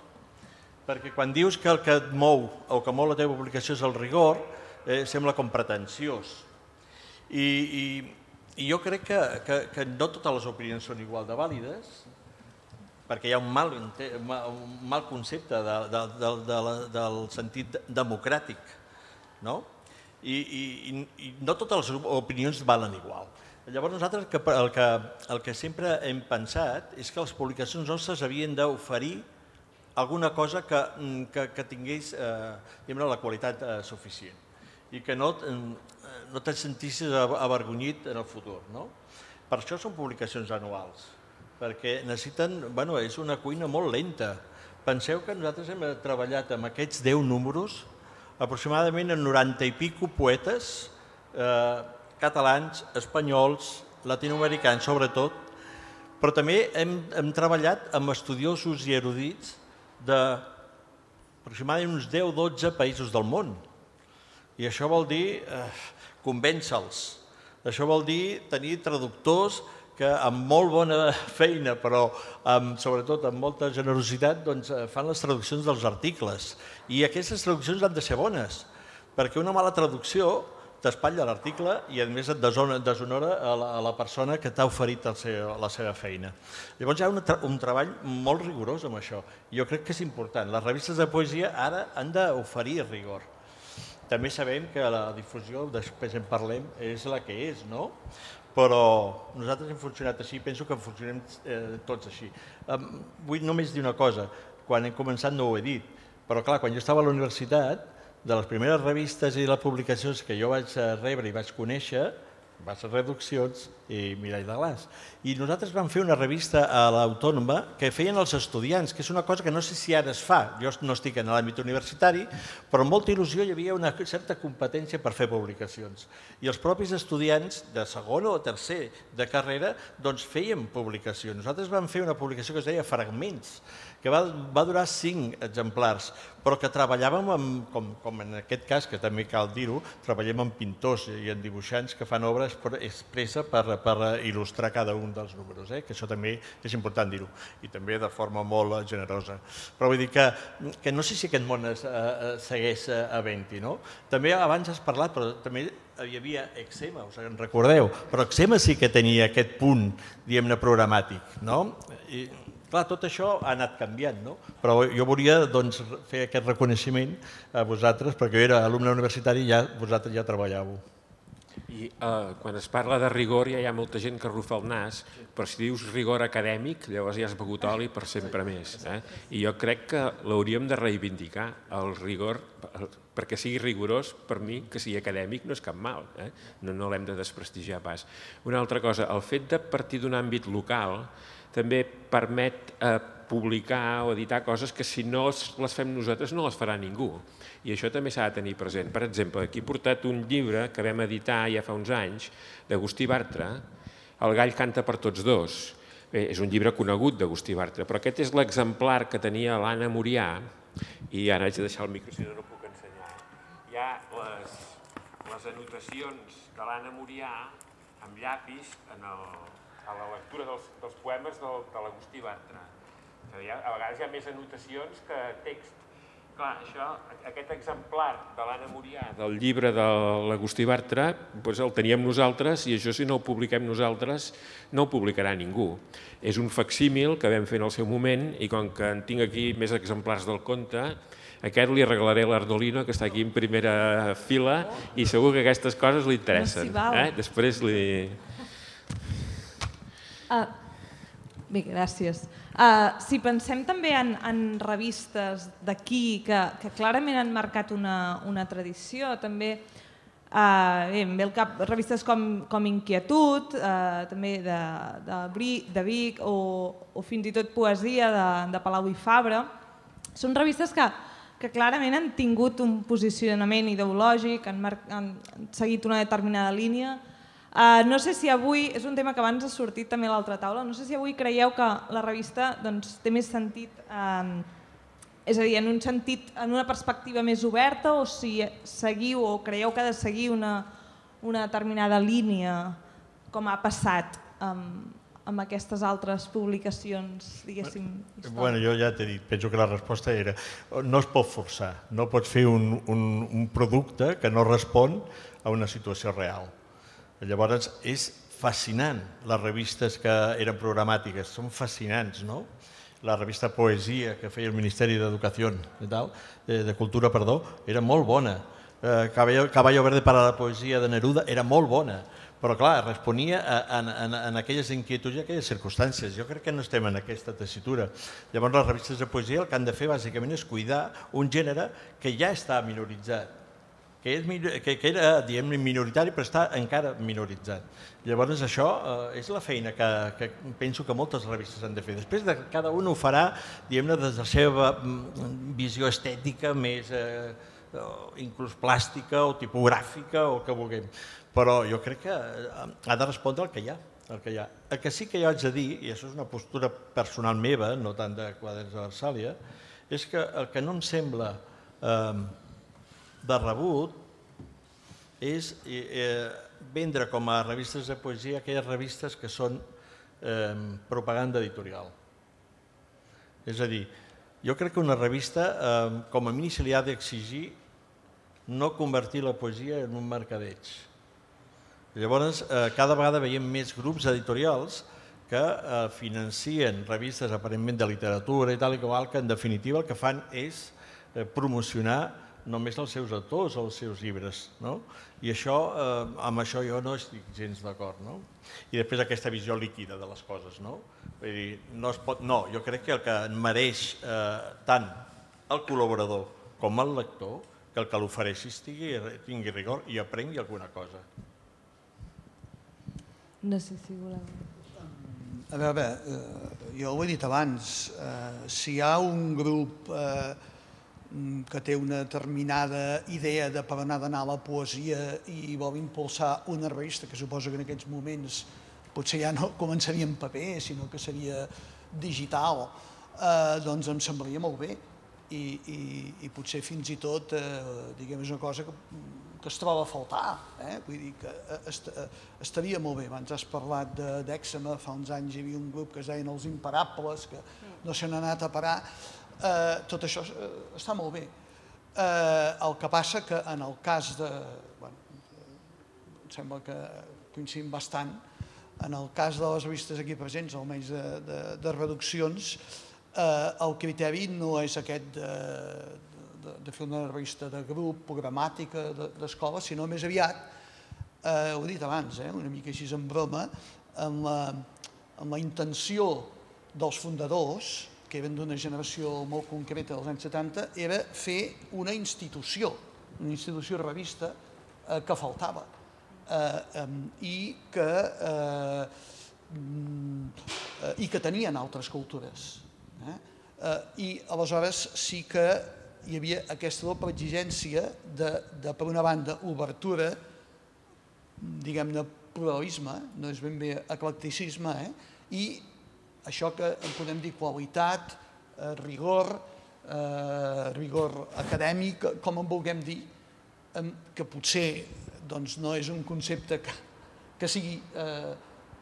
perquè quan dius que el que et mou o que mou la teva publicació és el rigor, eh, sembla com pretensiós. I, i I jo crec que, que, que no totes les opinions són igual de vàlides, perquè hi ha un mal, un mal concepte de, de, de, de, del sentit democràtic, no? I, i, i no totes les opinions valen igual. Llavors nosaltres el que, el, que, el que sempre hem pensat és que les publicacions nostres havien d'oferir alguna cosa que, que, que tingués eh, la qualitat eh, suficient i que no... no te'n sentissis avergonyit en el futur. No? Per això són publicacions anuals, perquè necessiten... Bueno, és una cuina molt lenta. Penseu que nosaltres hem treballat amb aquests deu números aproximadament en noranta i pico poetes eh, catalans, espanyols, latinoamericans sobretot, però també hem, hem treballat amb estudiosos i erudits d'aproximadament uns deu o dotze països del món. I això vol dir... Eh, convèncer-los. Això vol dir tenir traductors que amb molt bona feina, però amb, sobretot amb molta generositat, doncs, fan les traduccions dels articles. I aquestes traduccions han de ser bones, perquè una mala traducció t'espatlla l'article i a més et deshonora a la, a la persona que t'ha oferit el seu, la seva feina. Llavors hi ha un, tra un treball molt rigorós amb això. Jo crec que és important. Les revistes de poesia ara han d'oferir rigor. També sabem que la difusió, després en parlem, és la que és, no? Però nosaltres hem funcionat així, penso que funcionem eh, tots així. Um, vull només dir una cosa, quan hem començat no ho he dit, però clar, quan jo estava a la universitat, de les primeres revistes i les publicacions que jo vaig rebre i vaig conèixer, va ser Reduccions i Mirall de Glaç. I nosaltres vam fer una revista a l'Autònoma que feien els estudiants, que és una cosa que no sé si ara es fa, jo no estic en l'àmbit universitari, però amb molta il·lusió hi havia una certa competència per fer publicacions. I els propis estudiants de segon o tercer de carrera doncs feien publicacions. Nosaltres vam fer una publicació que es deia Fragments, que va, va durar cinc exemplars, però que treballàvem, amb, com, com en aquest cas, que també cal dir-ho, treballem amb pintors i en dibuixants que fan obres expressa per, per il·lustrar cada un dels números, eh? Que això també és important dir-ho, i també de forma molt generosa. Però vull dir que, que no sé si aquest món es, eh, segueix havent-hi, no? També abans has parlat, però també hi havia Eczema, us en recordeu, però Eczema sí que tenia aquest punt, diguem-ne, programàtic, no? I, clar, tot això ha anat canviant, no? Però jo volia doncs, fer aquest reconeixement a vosaltres, perquè jo era alumne universitari i ja, vosaltres ja treballàveu. I eh, quan es parla de rigor ja hi ha molta gent que rufa el nas, però si dius rigor acadèmic, llavors ja has begut oli per sempre més. Eh? I jo crec que l'hauríem de reivindicar, el rigor, perquè sigui rigorós, per mi, que sigui acadèmic no és cap mal, eh? no, no l'hem de desprestigiar pas. Una altra cosa, el fet de partir d'un àmbit local també permet eh, publicar o editar coses que si no les fem nosaltres no les farà ningú. I això també s'ha de tenir present. Per exemple, aquí he portat un llibre que vam editar ja fa uns anys, d'Agustí Bartra, El gall canta per tots dos. Bé, és un llibre conegut d'Agustí Bartra, però aquest és l'exemplar que tenia l'Anna Murià, i ara haig de deixar el micro, si no, no puc ensenyar. Hi ha les, les anotacions de l'Anna Murià amb llapis en el, a la lectura dels, dels poemes del, de l'Agustí Bartra. A vegades hi ha més anotacions que text. Clar, això, aquest exemplar de l'Anna Murià, del llibre de l'Agustí Bartra, doncs el teníem nosaltres i això si no ho publiquem nosaltres no ho publicarà ningú. És un facsímil que vam fer en el seu moment i com que en tinc aquí més exemplars del conte, aquest li regalaré a l'Ardolino, que està aquí en primera fila, i segur que aquestes coses li interessen. Eh? Després li... Uh, bé, gràcies. Uh, si pensem també en, en revistes d'aquí que, que clarament han marcat una, una tradició, també uh, bé, em ve al cap revistes com, com Inquietud, uh, també de, de, de Vic, o, o fins i tot Poesia de, de Palau i Fabra, són revistes que, que clarament han tingut un posicionament ideològic, han, mar, han seguit una determinada línia. Uh, no sé si avui, és un tema que abans ha sortit també a l'altra taula, no sé si avui creieu que la revista doncs, té més sentit, uh, és a dir, en un sentit, en una perspectiva més oberta, o si seguiu o creieu que ha de seguir una, una determinada línia, com ha passat um, amb aquestes altres publicacions, diguéssim, històriques. Bueno, jo ja t'he dit, penso que la resposta era no es pot forçar, no pots fer un, un, un producte que no respon a una situació real. Llavors, és fascinant, les revistes que eren programàtiques, són fascinants, no? La revista Poesia que feia el Ministeri d'Educació, de, de Cultura, perdó, era molt bona. Eh, Caballo, Caballo Verde para la Poesia de Neruda era molt bona, però clar, responia en, en, en aquelles inquietuds i aquelles circumstàncies. Jo crec que no estem en aquesta tessitura. Llavors, les revistes de poesia el que han de fer bàsicament és cuidar un gènere que ja està minoritzat, que, és, que, que era diguem, minoritari però està encara minoritzat. Llavors això eh, és la feina que, que penso que moltes revistes han de fer. Després de, cada un ho farà diguem-ne des de la seva visió estètica més eh, inclús plàstica o tipogràfica o el que vulguem. Però jo crec que ha de respondre el que hi ha. El que, hi ha. El que sí que jo haig de dir, i això és una postura personal meva, no tant de Quaderns de Versàlia, és que el que no em sembla eh, de rebut és eh, vendre com a revistes de poesia aquelles revistes que són eh, propaganda editorial. És a dir, jo crec que una revista eh, com a mínim se li ha d'exigir no convertir la poesia en un mercadeig. Llavors, eh, cada vegada veiem més grups editorials que eh, financien revistes aparentment de literatura i tal i qual, que en definitiva el que fan és eh, promocionar només els seus autors o els seus llibres. No? I això, eh, amb això jo no estic gens d'acord. No? I després aquesta visió líquida de les coses. No? Vull dir, no, es pot, no, jo crec que el que mereix eh, tant el col·laborador com el lector, que el que l'ofereixi tingui rigor i aprengui alguna cosa. No sé si voleu... A veure, eh, jo ho he dit abans, eh, si hi ha un grup eh, que té una determinada idea de per on ha d'anar la poesia i vol impulsar una revista, que suposo que en aquests moments potser ja no començaria en paper, sinó que seria digital, eh, doncs em semblaria molt bé. I, i, i potser fins i tot, eh, diguem, és una cosa que, que es troba a faltar. Eh? Vull dir que est, estaria molt bé. Abans has parlat d'Èxema, fa uns anys hi havia un grup que es deien els Imparables, que no se n'ha anat a parar. Eh, tot això eh, està molt bé. Eh, el que passa que en el cas de... Bueno, em sembla que coincidim bastant. En el cas de les revistes aquí presents, almenys de, de, de reduccions, eh, el criteri no és aquest de, de, de fer una revista de grup, programàtica, d'escola, sinó més aviat, eh, ho he dit abans, eh, una mica així en broma, amb la, amb la intenció dels fundadors, que eren d'una generació molt concreta dels anys setanta, era fer una institució, una institució revista eh, que faltava eh, eh, i, que, eh, eh, i que tenien altres cultures. Eh? Eh, I aleshores sí que hi havia aquesta doble exigència de, de per una banda, obertura, diguem-ne, pluralisme, no és ben bé eclecticisme, eh? I això que en podem dir qualitat, eh, rigor, eh, rigor acadèmic, com en vulguem dir, eh, que potser doncs, no és un concepte que, que sigui eh,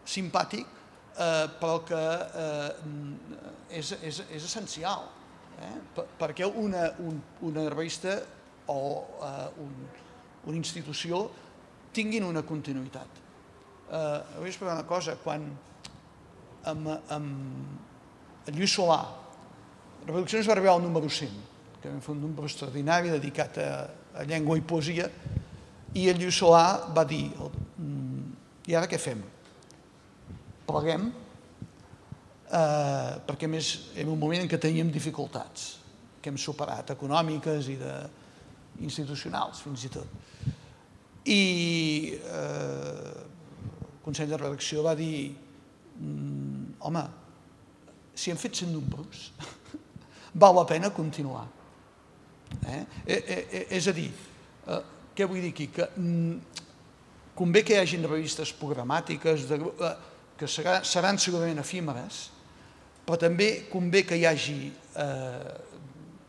simpàtic, eh, però que eh, és, és, és essencial. perquè una revista o una institució tinguin una continuïtat. Vull explicar una cosa, quan amb Lluís Solà Reproduccions va arribar al número cent, que vam fer un número extraordinari dedicat a llengua i poesia, i el Lluís Solà va dir: i ara què fem? Pleguem, perquè a més era un moment en què teníem dificultats que hem superat, econòmiques i institucionals fins i tot. I el Consell de Redacció va dir: home, si hem fet cent números, val la pena continuar. És a dir, què vull dir aquí? Que convé que hi hagin revistes programàtiques que seran segurament efímeres, però també convé que hi hagi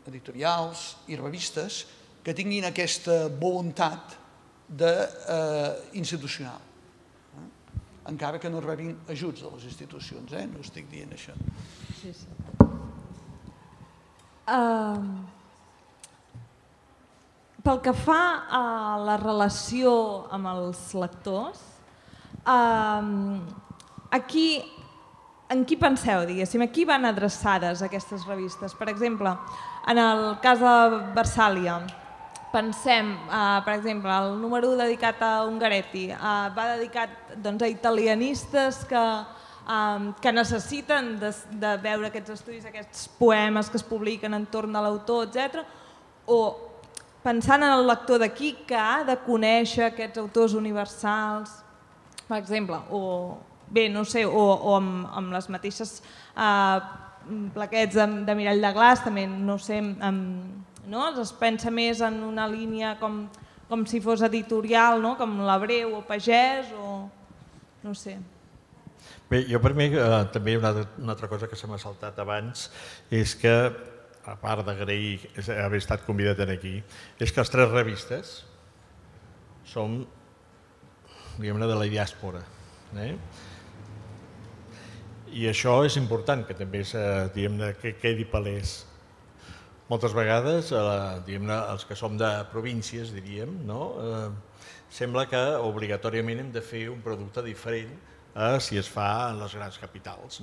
editorials i revistes que tinguin aquesta voluntat institucional, encara que no rebin ajuts de les institucions, no estic dient això. Sí, sí. Pel que fa a la relació amb els lectors, aquí, en qui penseu, diguéssim? A qui van adreçades aquestes revistes? Per exemple, en el cas de Versàlia, pensem, per exemple, el número dedicat a Ungaretti va dedicat a italianistes que necessiten de veure aquests estudis, aquests poemes que es publiquen entorn de l'autor, etcètera, o pensant en el lector d'aquí que ha de conèixer aquests autors universals, per exemple, o bé, no sé, o amb les mateixes plaquets de Mirall de Glaç, també, no sé, es pensa més en una línia com si fos editorial, com l'Abreu o Pagès, o no sé. Bé, jo per mi també una altra cosa que se m'ha saltat abans és que, a part d'agrair haver estat convidat aquí, és que les tres revistes som, diguem-ne, de la diàspora. I això és important, que també quedi palès. Moltes vegades, els que som de províncies, diríem, sembla que obligatòriament hem de fer un producte diferent a si es fa en les grans capitals,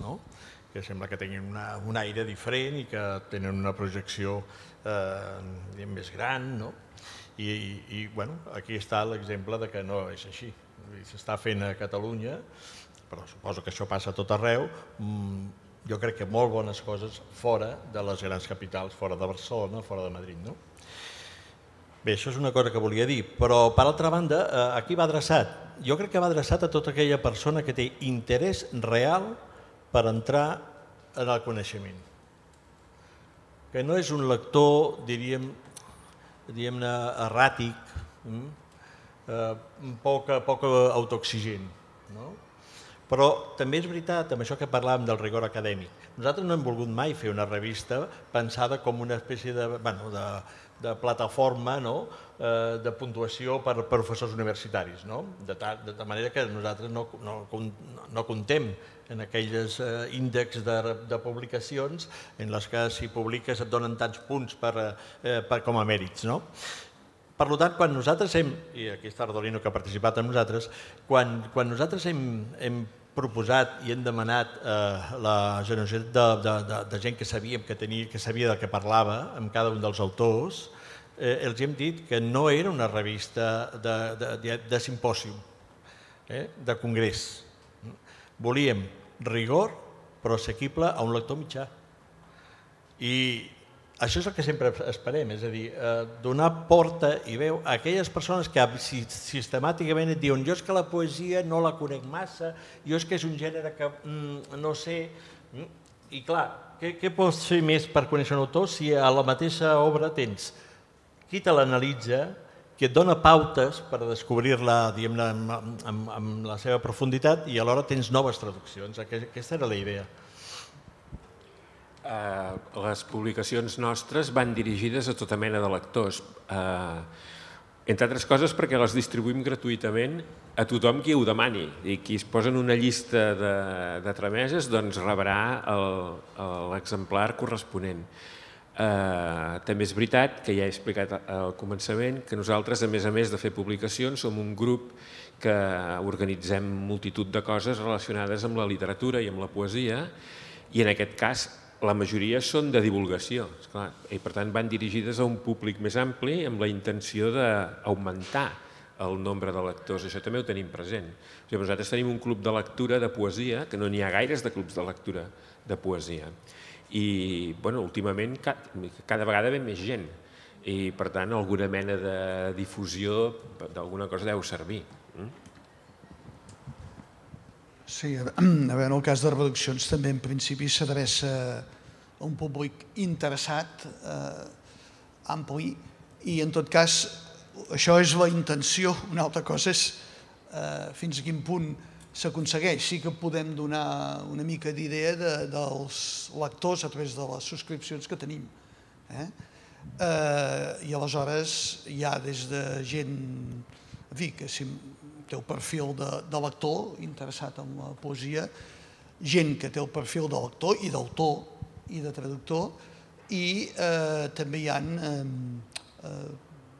que sembla que tinguin un aire diferent i que tenen una projecció més gran. I aquí està l'exemple que no és així. S'està fent a Catalunya, però suposo que això passa a tot arreu, jo crec que molt bones coses fora de les grans capitals, fora de Barcelona, fora de Madrid. Bé, això és una cosa que volia dir, però per altra banda, a qui va adreçat? Jo crec que va adreçat a tota aquella persona que té interès real per entrar en el coneixement. Que no és un lector, diríem-ne, erràtic, poc autoexigent. Però també és veritat, amb això que parlàvem del rigor acadèmic, nosaltres no hem volgut mai fer una revista pensada com una espècie de plataforma de puntuació per professors universitaris, de manera que nosaltres no comptem en aquells índexs de publicacions en les que si publiques et donen tants punts com a mèrits. Per tant, quan nosaltres hem, i aquí està Ardolino que ha participat amb nosaltres, quan nosaltres hem proposat i hem demanat la generositat de gent que sabíem que sabia del que parlava amb cada un dels autors, els hem dit que no era una revista de simpòsium, de congrés. Volíem rigor, però assequible a un lector mitjà. I això és el que sempre esperem, és a dir, donar porta i veu a aquelles persones que sistemàticament et diuen jo és que la poesia no la conec massa, jo és que és un gènere que no sé... I clar, què pots fer més per conèixer un autor si a la mateixa obra tens qui te l'analitza, qui et dona pautes per descobrir-la amb la seva profunditat i alhora tens noves traduccions. Aquesta era la idea. Les publicacions nostres van dirigides a tota mena de lectors, entre altres coses perquè les distribuïm gratuïtament a tothom qui ho demani. I qui es posa en una llista de trameses doncs rebrà l'exemplar corresponent. Eh, també és veritat, que ja he explicat al començament, que nosaltres, a més a més de fer publicacions, som un grup que organitzem multitud de coses relacionades amb la literatura i amb la poesia, i en aquest cas la majoria són de divulgació, esclar, i per tant van dirigides a un públic més ampli amb la intenció d'augmentar el nombre de lectors. Això també ho tenim present. O sigui, nosaltres tenim un club de lectura de poesia, que no n'hi ha gaires de clubs de lectura de poesia. I bueno, últimament cada vegada ve més gent i per tant alguna mena de difusió d'alguna cosa deu servir. Sí, a veure, en el cas de reduccions també en principi s'adreça a un públic interessat, ampli, i en tot cas això és la intenció. Una altra cosa és fins a quin punt s'aconsegueix. Sí que podem donar una mica d'idea dels lectors a través de les subscripcions que tenim. I aleshores hi ha des de gent, en fi, que té el perfil de lector interessat en la poesia, gent que té el perfil de lector i d'autor i de traductor, i també hi ha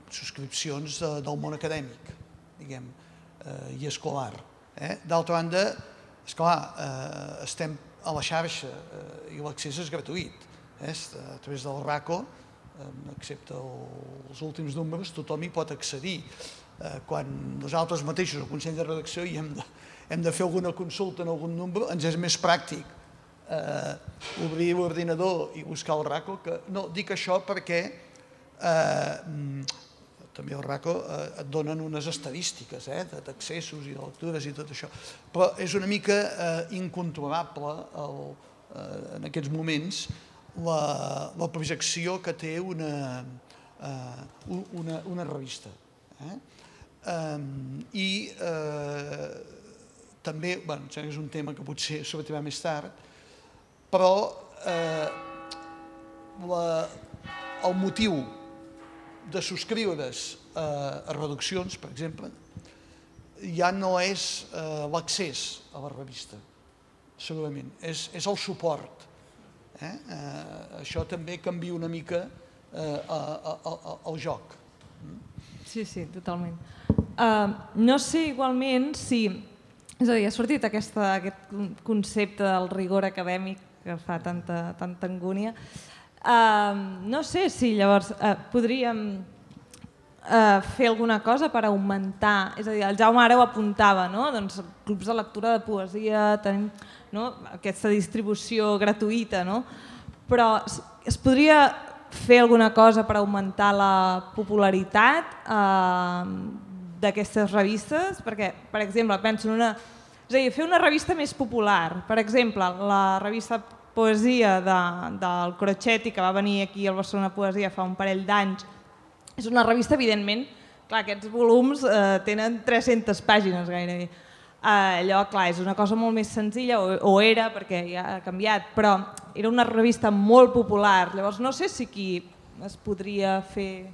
subscripcions del món acadèmic, diguem, i escolar. D'altra banda, esclar, estem a la xarxa i l'accés és gratuït. A través del RACO, excepte els últims números, tothom hi pot accedir. Quan nosaltres mateixos, al Consell de Redacció, hem de fer alguna consulta en algun número, ens és més pràctic obrir l'ordinador i buscar el RACO. No, dic això perquè també el RACO et donen unes estadístiques d'accessos i de lectures i tot això, però és una mica incontrolable en aquests moments la projecció que té una revista. I també, bé, és un tema que potser sortirà més tard, però el motiu de subscriure's a reduccions, per exemple, ja no és l'accés a la revista, segurament, és el suport. Això també canvia una mica el joc. Sí, sí, totalment. No sé igualment si... És a dir, ha sortit aquest concepte del rigor acadèmic que fa tanta angúnia. No sé si llavors podríem fer alguna cosa per augmentar, és a dir, el Jaume ara ho apuntava, doncs clubs de lectura de poesia, tenim aquesta distribució gratuïta, però es podria fer alguna cosa per augmentar la popularitat d'aquestes revistes? Perquè, per exemple, penso en una... És a dir, fer una revista més popular. Per exemple, la revista Poesia del Crocetti, que va venir aquí al Barcelona Poesia fa un parell d'anys, és una revista, evidentment, clar, aquests volums tenen tres-centes pàgines gairebé. Allò, clar, és una cosa molt més senzilla, o era, perquè ja ha canviat, però era una revista molt popular. Llavors, no sé si aquí es podria fer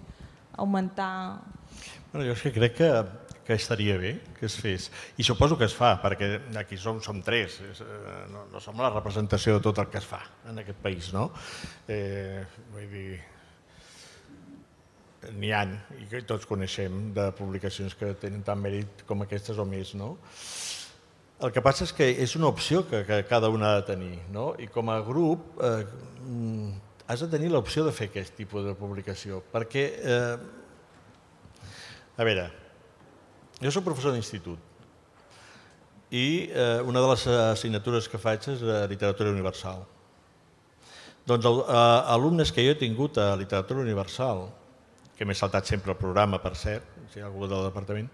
augmentar... Jo és que crec que estaria bé que es fes. I suposo que es fa, perquè aquí som tres, no som la representació de tot el que es fa en aquest país, no? Vull dir, n'hi ha, i que tots coneixem, de publicacions que tenen tant mèrit com aquestes o més, no? El que passa és que és una opció que cada una ha de tenir, no? I com a grup has de tenir l'opció de fer aquest tipus de publicació, perquè, a veure, jo soc professor d'institut i una de les assignatures que faig és literatura universal. Doncs alumnes que jo he tingut a literatura universal, que m'he saltat sempre el programa, per cert, si hi ha algú del departament,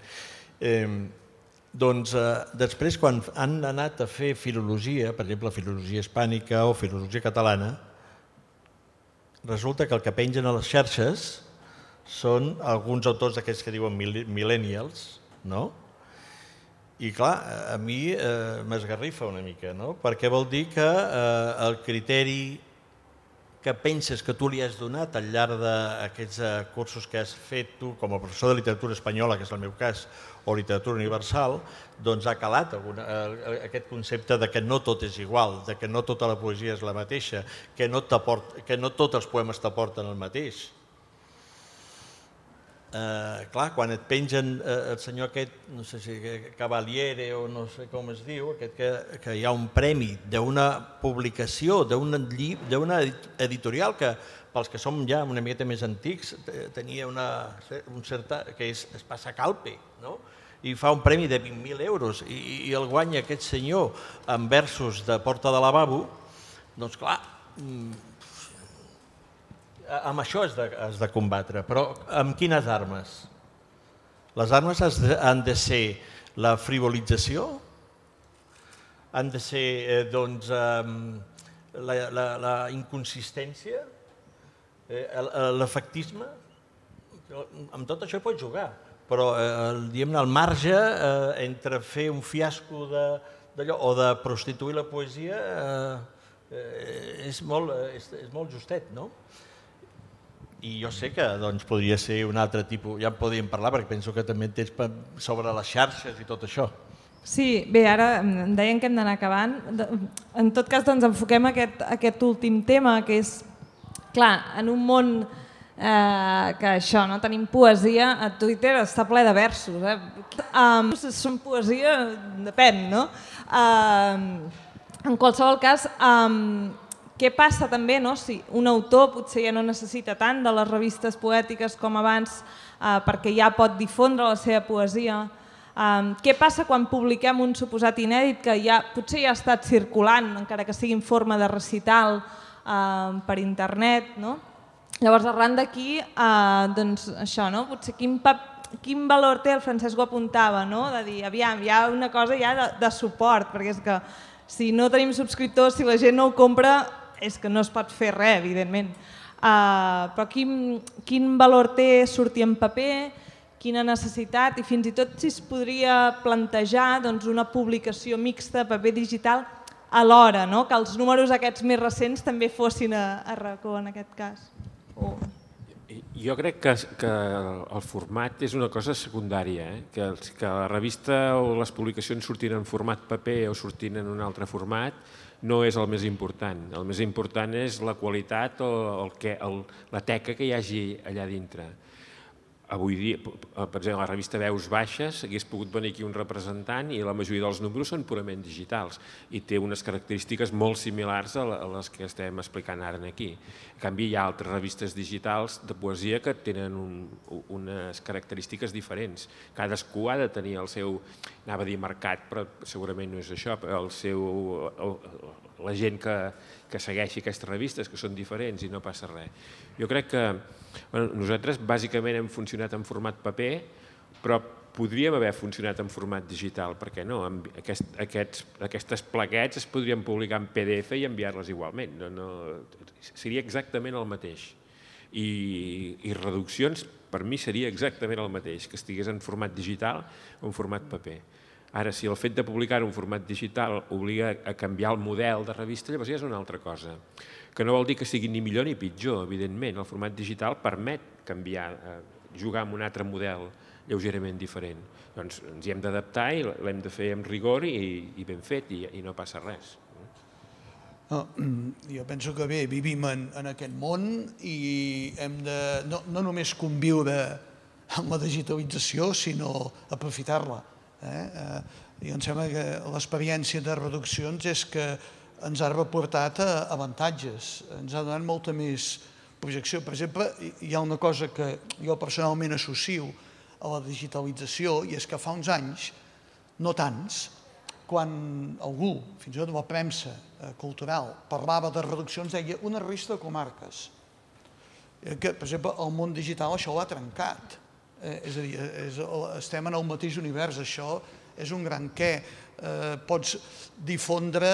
doncs després, quan han anat a fer filologia, per exemple, filologia hispànica o filologia catalana, resulta que el que pengen a les xarxes són alguns autors d'aquests que diuen millennials, no? I clar, a mi m'esgarrifa una mica, no? Perquè vol dir que el criteri que penses que tu li has donat al llarg d'aquests cursos que has fet tu com a professor de literatura espanyola, que és el meu cas, o literatura universal, doncs ha calat aquest concepte de que no tot és igual, de que no tota la poesia és la mateixa, que no tots els poemes t'aporten el mateix. Clar, quan et pengen el senyor aquest, no sé si Cavaliere o no sé com es diu, que hi ha un premi d'una publicació, d'una editorial que pels que som ja una miqueta més antics tenia un cert... que és Espasa Calpe, no? I fa un premi de vint mil euros i el guanya aquest senyor en versos de Porta de Lavabo, doncs clar, amb això has de combatre, però amb quines armes? Les armes han de ser la frivolització, han de ser doncs la inconsistència, l'efectisme. Amb tot això pots jugar, però diguem-ne el marge entre fer un fiasco d'allò o de prostituir la poesia és molt justet, no? I jo sé que podria ser un altre tipus, ja en podríem parlar perquè penso que també tens sobre les xarxes i tot això. Sí, bé, ara em deien que hem d'anar acabant. En tot cas, doncs enfoquem aquest últim tema, que és, clar, en un món que això, no tenim poesia, a Twitter està ple de versos. Són poesia, depèn, no? En qualsevol cas, què passa també si un autor potser ja no necessita tant de les revistes poètiques com abans perquè ja pot difondre la seva poesia? Què passa quan publiquem un suposat inèdit que potser ja ha estat circulant, encara que sigui en forma de recital per internet? Llavors, arran d'aquí, doncs això, potser quin valor té, el Francesc ho apuntava, de dir, aviam, hi ha una cosa ja de suport, perquè és que si no tenim subscriptors, si la gent no ho compra, és que no es pot fer res, evidentment. Però quin valor té sortir en paper, quina necessitat, i fins i tot si es podria plantejar una publicació mixta, paper digital, alhora, que els números aquests més recents també fossin a racó en aquest cas. Jo crec que el format és una cosa secundària, que la revista o les publicacions surtin en format paper o surtin en un altre format no és el més important. El més important és la qualitat o la teca que hi hagi allà dintre. Avui dia, per exemple, a la revista Veus Baixes hagués pogut venir aquí un representant i la majoria dels números són purament digitals i té unes característiques molt similars a les que estem explicant ara aquí. En canvi, hi ha altres revistes digitals de poesia que tenen unes característiques diferents. Cadascú ha de tenir el seu, anava a dir mercat, però segurament no és això, el seu, la gent que segueixi aquestes revistes, que són diferents i no passa res. Jo crec que nosaltres bàsicament hem funcionat en format paper, però podríem haver funcionat en format digital, perquè no? Aquestes plaquetes es podrien publicar en P D F i enviar-les igualment. Seria exactament el mateix. I reduccions, per mi, seria exactament el mateix, que estigués en format digital o en format paper. Ara, si el fet de publicar un format digital obliga a canviar el model de revista, llavors ja és una altra cosa. Que no vol dir que sigui ni millor ni pitjor, evidentment. El format digital permet canviar, jugar amb un altre model lleugerament diferent. Doncs ens hi hem d'adaptar i l'hem de fer amb rigor i ben fet i no passa res. Jo penso que bé, vivim en aquest món i hem de no només conviure amb la digitalització, sinó aprofitar-la. I em sembla que l'experiència de reduccions és que ens ha reportat avantatges, ens ha donat molta més projecció. Per exemple, hi ha una cosa que jo personalment associo a la digitalització i és que fa uns anys, no tants, quan algú, fins i tot la premsa cultural, parlava de reduccions, deia una revista de comarques. Per exemple, el món digital això l'ha trencat. És a dir, estem en el mateix univers, això és un gran què. Pots difondre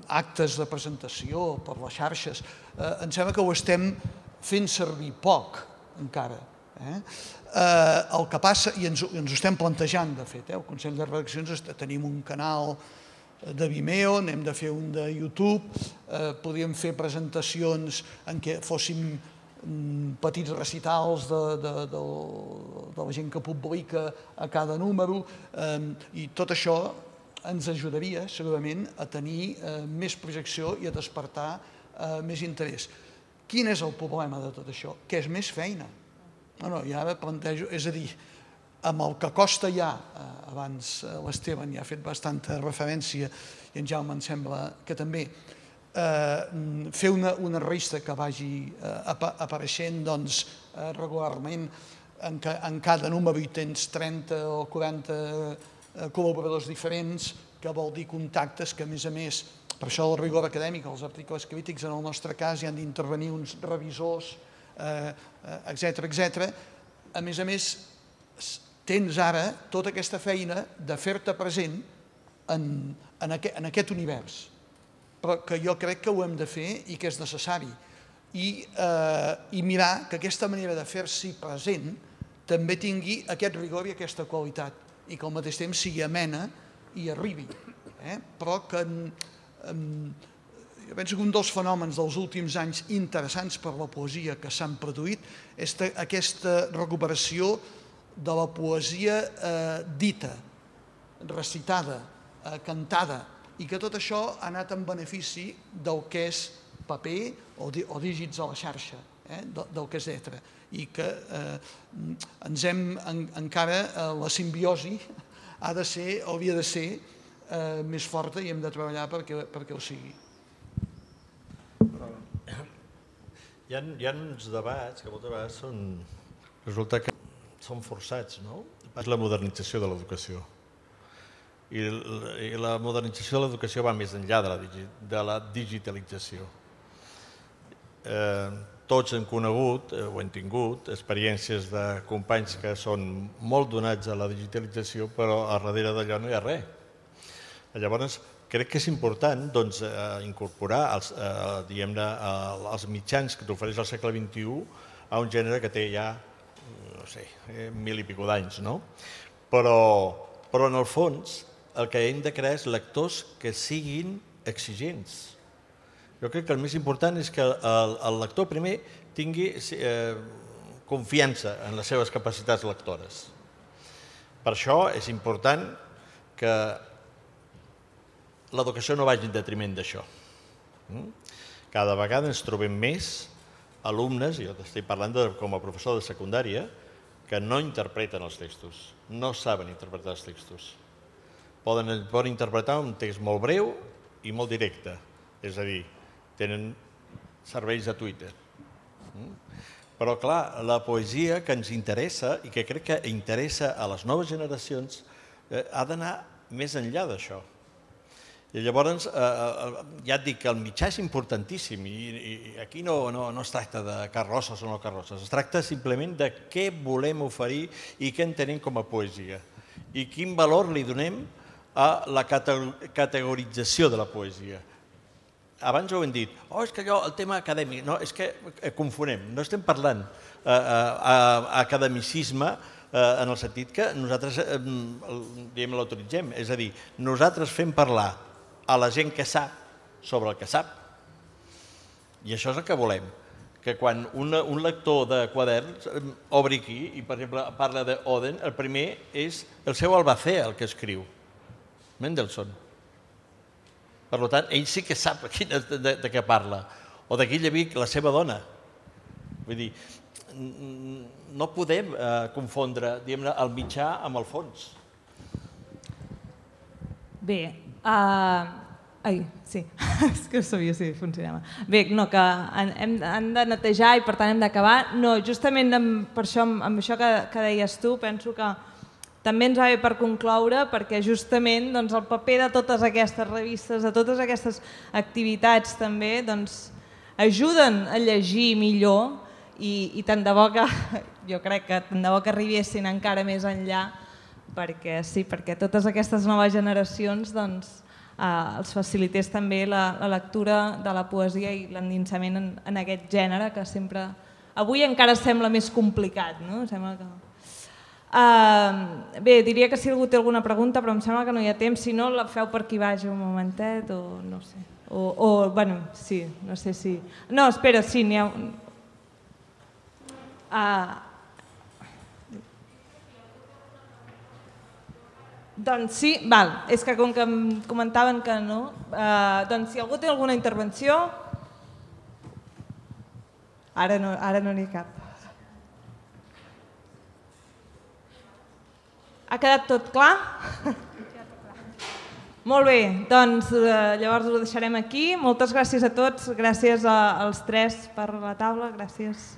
actes de presentació per les xarxes. Em sembla que ho estem fent servir poc, encara. El que passa, i ens ho estem plantejant, de fet, el Consell de Redaccions tenim un canal de Vimeo, n'hem de fer un de YouTube, podríem fer presentacions en què fóssim petits recitals de la gent que publica a cada número, i tot això ens ajudaria segurament a tenir més projecció i a despertar més interès. Quin és el problema de tot això? Que és més feina. I ara plantejo, és a dir, amb el que costa ja, abans l'Esteban ja ha fet bastanta referència i en Jaume em sembla que també, fer una revista que vagi apareixent regularment, en cada número hi tens trenta o quaranta col·laboradors diferents, que vol dir contactes que a més a més, per això el rigor acadèmic, els articles crítics en el nostre cas hi han d'intervenir uns revisors, etcètera, etcètera. A més a més, tens ara tota aquesta feina de fer-te present en aquest univers, però que jo crec que ho hem de fer i que és necessari. I mirar que aquesta manera de fer-s'hi present també tingui aquest rigor i aquesta qualitat i que al mateix temps sigui amena i arribi. Però que jo penso que un dels fenòmens dels últims anys interessants per la poesia que s'han produït és aquesta recuperació de la poesia dita, recitada, cantada, i que tot això ha anat en benefici del que és paper o dígits a la xarxa, del que és lletra, i que ens hem encara, la simbiosi ha de ser, hauria de ser més forta i hem de treballar perquè ho sigui. Hi ha uns debats que moltes vegades són, resulta que són forçats, no? És la modernització de l'educació. I la modernització de l'educació va més enllà de la digitalització. Tots hem conegut, o hem tingut, experiències de companys que són molt donats a la digitalització, però a darrere d'allò no hi ha res. Llavors, crec que és important incorporar els mitjans que t'ofereix el segle vint-i-u a un gènere que té ja, no sé, mil i pico d'anys, no? Però en el fons el que hem de crear és lectors que siguin exigents. Jo crec que el més important és que el lector primer tingui confiança en les seves capacitats lectores. Per això és important que l'educació no vagi en detriment d'això. Cada vegada ens trobem més alumnes, i jo t'estic parlant com a professor de secundària, que no interpreten els textos, no saben interpretar els textos. Poden interpretar un text molt breu i molt directe, és a dir, tenen serveis de Twitter. Però, clar, la poesia que ens interessa i que crec que interessa a les noves generacions ha d'anar més enllà d'això. I llavors, ja et dic que el mitjà és importantíssim i aquí no es tracta de carrosses o no carrosses, es tracta simplement de què volem oferir i què entenem com a poesia i quin valor li donem a la categorització de la poesia. Abans ho hem dit, oh, és que allò, el tema acadèmic, no, és que confonem, no estem parlant academicisme en el sentit que nosaltres l'autoritzem, és a dir, nosaltres fem parlar a la gent que sap sobre el que sap. I això és el que volem, que quan un lector de quaderns obri aquí i, per exemple, parla d'Oden, el primer és el seu Albacea, el que escriu, Mendelssohn. Per tant, ell sí que sap de què parla. O de Guillevic, la seva dona. Vull dir, no podem confondre el mitjà amb el fons. Bé, ai, sí, és que sabia si funcionava. Bé, no, que hem de netejar i per tant hem d'acabar. No, justament per això, amb això que deies tu, penso que també ens va bé per concloure, perquè justament el paper de totes aquestes revistes, de totes aquestes activitats també, ajuden a llegir millor i tant de bo que, jo crec que tant de bo que arribessin encara més enllà, perquè sí, perquè totes aquestes noves generacions els facilités també la lectura de la poesia i l'endinsament en aquest gènere que sempre, avui encara sembla més complicat, no? Sembla que... Uh, bé, diria que si algú té alguna pregunta, però em sembla que no hi ha temps. Si no, la feu per aquí baix un momentet, o no sé. O, o bueno, sí, no sé si... No, espera, sí, n'hi ha... Uh, doncs sí, val. És que com que em comentaven que no, uh, doncs si algú té alguna intervenció... Ara no, ara no n'hi ha cap. Ha quedat tot clar? Molt bé, doncs eh, llavors ho deixarem aquí. Moltes gràcies a tots, gràcies a, als tres per la taula, gràcies.